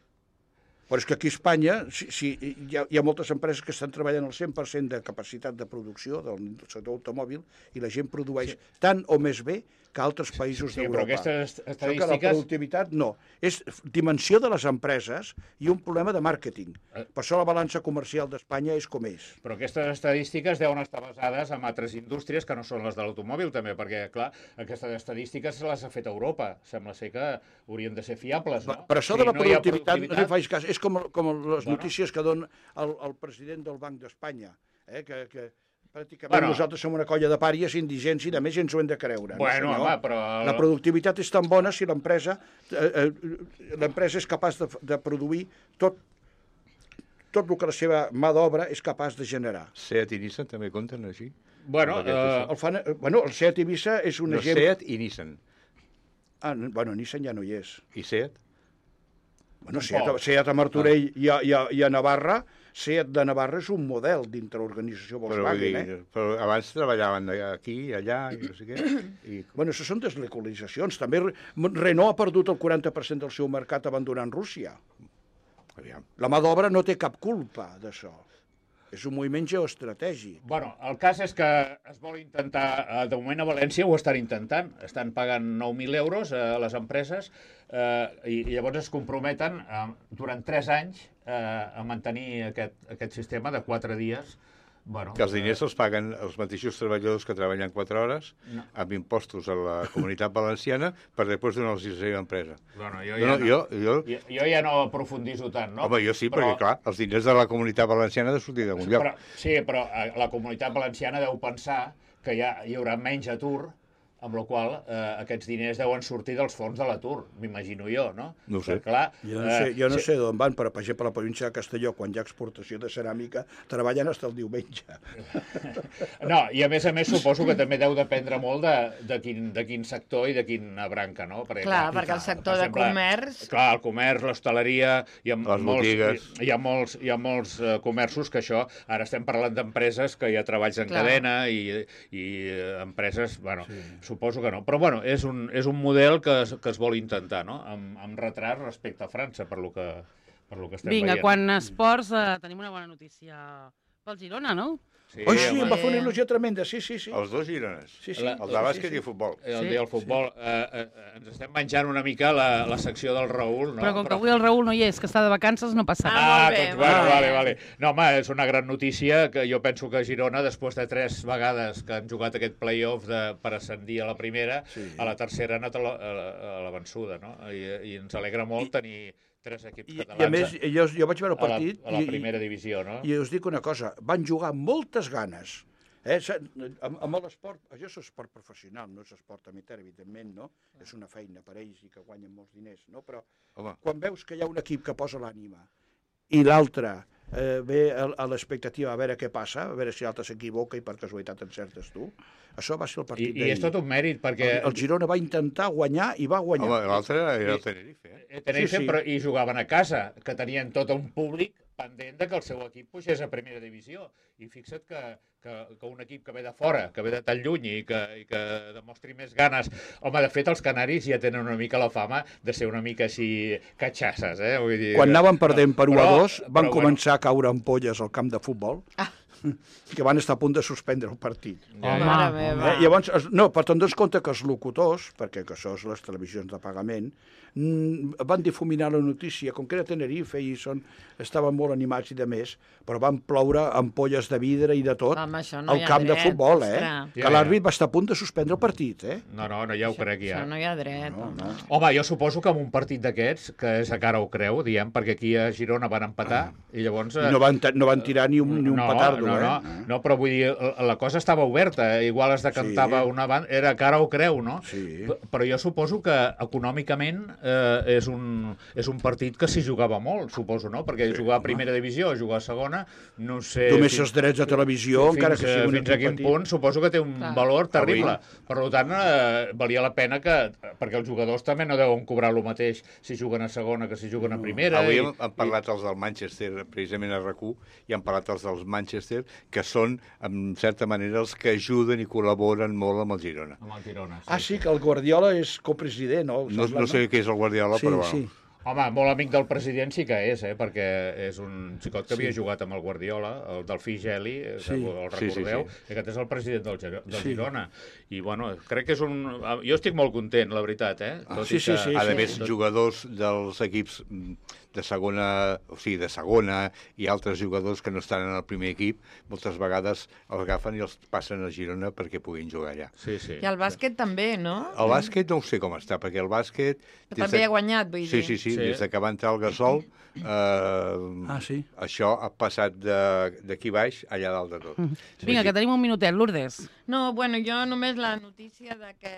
Però és que aquí a Espanya si, si, hi, ha, hi ha moltes empreses que estan treballant al cent per cent de capacitat de producció del sector automòbil i la gent produeix sí. tant o més bé que altres països Sí, però d'Europa. aquestes Això que la estadístiques... productivitat no. És dimensió de les empreses i un problema de màrqueting. Eh. Per això la balança comercial d'Espanya és com és. Però aquestes estadístiques deuen estar basades en altres indústries que no són les de l'automòbil, també, perquè, clar, aquestes estadístiques se les ha fet Europa. Sembla ser que haurien de ser fiables, no? Per això Si de la no hi ha productivitat, no li faig cas. És com, com les Bueno. notícies que dona el, el president del Banc d'Espanya, eh? que, que pràcticament Bueno. nosaltres som una colla de pàries indigents i de més ens ho hem de creure. Bueno, no, senyor? home, però... La productivitat és tan bona si l'empresa eh, eh, l'empresa és capaç de, de produir tot, tot el que la seva mà d'obra és capaç de generar. Seat i Nissan també compten així? Bueno, Amb aquest eh, això. El fan, eh, bueno, el Seat Ibiza és un No, exemple... Seat i Nissan. Ah, no, bueno, Nissan ja no hi és. I Seat? Bueno, Seat, Tampoc. Seat a Martorell i, a, i, a, i a Navarra, Seat de Navarra és un model dintre l'organització Però, vull Volkswagen, dir, eh? però abans treballaven aquí, allà, i no sé què. I... Bueno, això són deslocalitzacions. També Re- Renault ha perdut el quaranta per cent del seu mercat abandonant Rússia. Aviam. La mà d'obra no té cap culpa d'això. És un moviment geoestratègic. Bueno, el cas és que es vol intentar, eh, de moment a València ho estan intentant, estan pagant nou mil euros a les empreses eh, i, i llavors es comprometen eh, durant tres anys eh, a mantenir aquest, aquest sistema de quatre dies. Bueno, Que els diners els paguen els mateixos treballadors que treballen quatre hores No. amb impostos a la comunitat valenciana per després donar-los a la seva empresa. Bueno, jo, No, ja no, no, jo, jo, jo, jo ja no aprofundiso tant, no? home, jo sí, perquè, clar, els diners de la comunitat valenciana han de sortir d'algun lloc. Però, sí, però eh, la comunitat valenciana deu pensar que ja hi haurà menys atur, amb la qual eh, aquests diners deuen sortir dels fons de l'atur, m'imagino jo, no? No ho sé. Però, clar, Jo no sé, jo no eh, sé d'on van, però per exemple a la província de Castelló, quan hi ha exportació de ceràmica, treballen fins el diumenge. No, i a més a més suposo que també deu dependre molt de, de, quin, de quin sector i de quina branca, no? Perquè, Clar, perquè el sector de comerç... Clar, el comerç, l'hostaleria, hi ha Les molts, botigues. hi, hi ha molts, hi ha molts eh, comerços que això, ara estem parlant d'empreses que hi ha treballs en Clar. cadena i, i eh, empreses, bueno, sí. Suposo que no. Però bueno, és un, és un model que es, que es vol intentar, no? Amb, amb retard respecte a França, per lo que, per lo que estem Vinga, veient. quan a esports eh, tenim una bona notícia pel Girona, no? Sí, Oi, sí, home. em va fer una il·lusió tremenda, sí, sí, sí. Els dos girones. Sí, sí. La- El de bàsquet i el futbol. El Sí. dia del futbol. Eh, eh, ens estem menjant una mica la, la secció del Raül, no? Però com que avui el Raül no hi és, que està de vacances, no passa Ah, res. Ah, molt bé, doncs, molt bueno, bé. vale, vale. No, home, és una gran notícia que jo penso que Girona, després de tres vegades que han jugat aquest play-off de, per ascendir a la primera, Sí. a la tercera ha anat a la, a la, a la vençuda, no? I, I ens alegra molt tenir, tres equips I, catalans i a més, jo, jo vaig veure el a la, partit a la i, primera divisió, no? i us dic una cosa, van jugar amb moltes ganes. Eh? Amb, amb l'esport, això és esport professional, no és esport amateur, evidentment, no? És una feina per ells i que guanyen molts diners, no? Però Home. quan veus que hi ha un equip que posa l'ànima i l'altre eh, ve a, a l'expectativa a veure què passa, a veure si l'altre s'equivoca i per casualitat encertes tu, això va ser el I, partit I és tot un mèrit, perquè... El, el Girona va intentar guanyar i va guanyar. Home, l'altre era el Tenerife, eh? Eh, Tenerife, Sí, sí. però i jugaven a casa, que tenien tot un públic pendent de que el seu equip pugés a primera divisió. I fixa't que, que, que un equip que ve de fora, que ve de tan lluny i que, i que demostri més ganes... Home, de fet, els canaris ja tenen una mica la fama de ser una mica així catxasses, eh? Vull dir, Quan anaven perdent per u a però- dos, van però, començar a caure ampolles al camp de futbol, que van estar a punt de suspendre el partit. Ja, Home, Mare meva. Eh, llavors, es- no, però te'n dones compte que els locutors, perquè que això és les televisions de pagament, mm, van difuminar la notícia, com que era Tenerife i són, estaven molt animats i de més, però van ploure ampolles de vidre i de tot Home, això no al hi ha camp de dret, futbol, eh? ostres. Que Ja, ja. l'àrbit va estar a punt de suspendre el partit, eh? No, no, no, ja ho crec, ja. Això no hi ha dret. No, home. no. Home, jo suposo que en un partit d'aquests, que és a cara o creu, diem, perquè aquí a Girona van empatar, i llavors... I no van, ta- no van tirar ni un, ni un no, petardo, no, eh? no, no, però vull dir, la cosa estava oberta, igual es decantava Sí. una banda, era cara o creu, no? Sí. P- Però jo suposo que econòmicament eh, és, un, és un partit que s'hi jugava molt, suposo, no? Perquè sí, jugar a primera divisió, jugar a segona, no sé... Només fins- els drets de televisió, fins, encara que sigui un fins a equip quin petit. punt suposo que té un Clar. valor terrible. Per tant, eh, valia la pena que... Perquè els jugadors també no deuen cobrar el mateix si juguen a segona que si juguen a primera. Avui i- hem, hem parlat els del Manchester, precisament a RAC u, i hem parlat els dels Manchester, que són, en certa manera, els que ajuden i col·laboren molt amb el Girona. Amb el Girona. Ah, sí, que el Guardiola és copresident, no? No, no sé què és el Guardiola, Sí, però bueno. sí. Home, molt amic del president sí que és, eh? Perquè és un xicot que havia jugat amb el Guardiola, el Delfí Geli, eh, Sí. que el Sí, sí, recordeu, sí. i aquest és el president del, Giro- del Sí. Girona. I, bueno, crec que és un... Jo estic molt content, la veritat, eh? Ah, Tot sí, i sí, que... sí, A sí. més, jugadors dels equips mm, de segona, o sigui, de segona i altres jugadors que no estan en el primer equip, moltes vegades els agafen i els passen a Girona perquè puguin jugar allà. Sí, sí. I el bàsquet també, no? El bàsquet no ho sé com està, perquè el bàsquet... des També de- ha guanyat, vull Sí, dir. sí, sí, Sí. des de que va entrar el Gasol, eh, Ah, sí? això ha passat de- d'aquí baix allà dalt de tot. Vinga, que tenim un minutet. Lourdes. No, bueno, jo només la notícia de que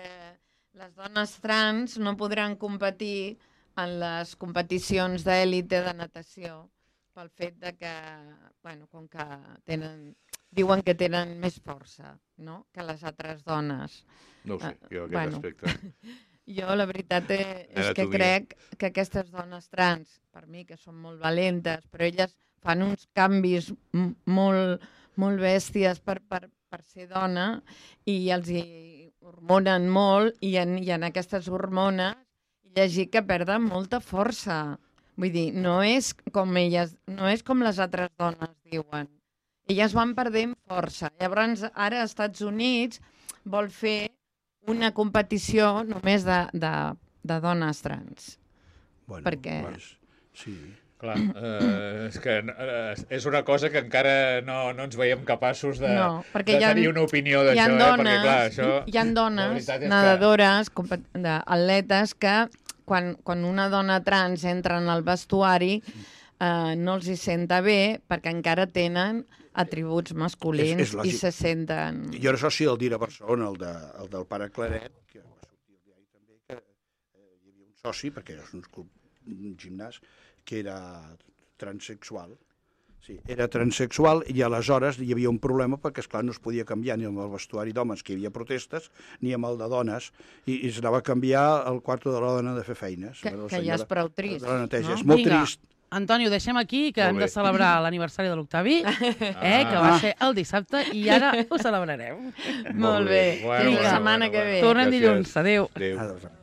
les dones trans no podran competir en les competicions d'èlite de natació pel fet de que, bueno, com que tenen, diuen que tenen més força, no?, que les altres dones. No ho sé, Ah, jo aquest bueno. aspecte. Jo la veritat és, és que Anatomia. crec que aquestes dones trans, per mi, que són molt valentes, però elles fan uns canvis m- molt, molt bèsties per, per, per ser dona i els hi hormonen molt i en, i en aquestes hormones he llegit que perden molta força. Vull dir, no és com elles, no és com les altres dones diuen. Elles van perdent força. Llavors, ara als Estats Units vol fer una competició només de, de, de dones trans. Bueno, Per què? Pues, sí. Clar, eh, és que eh, és una cosa que encara no, no ens veiem capaços de, No, perquè de hi ha- tenir una opinió Hi ha d'això, eh? dones, Perquè, clar, això... hi ha la dones veritat és que- nedadores, compet- de- atletes, que quan, quan una dona trans entra en el vestuari eh, no els hi senta bé perquè encara tenen atributs masculins És- és i lògic. se senten... Jo era soci del Dir a Barcelona, el, de, el del pare Claret, que va sortir al diari també, que eh, hi havia un soci, perquè era un, club, un gimnàs, que era transexual. Sí, era transexual i aleshores hi havia un problema perquè, esclar, no es podia canviar ni amb el vestuari d'homes, que hi havia protestes, ni amb el de dones, i, i s'anava a canviar el quarto de la dona de fer feines. Que, Bueno, la que ja és senyora prou trist, de la neteja. no? És molt Vinga. trist. Antonio, ho deixem aquí, que Molt hem de bé. celebrar l'aniversari de l'Octavi, eh, que va Ah. ser el dissabte, i ara ho celebrarem. Molt bé. Bueno, Fins bueno, la setmana bueno, que bueno. ve. Tornem Gràcies. dilluns. Adéu. Adéu. Adéu.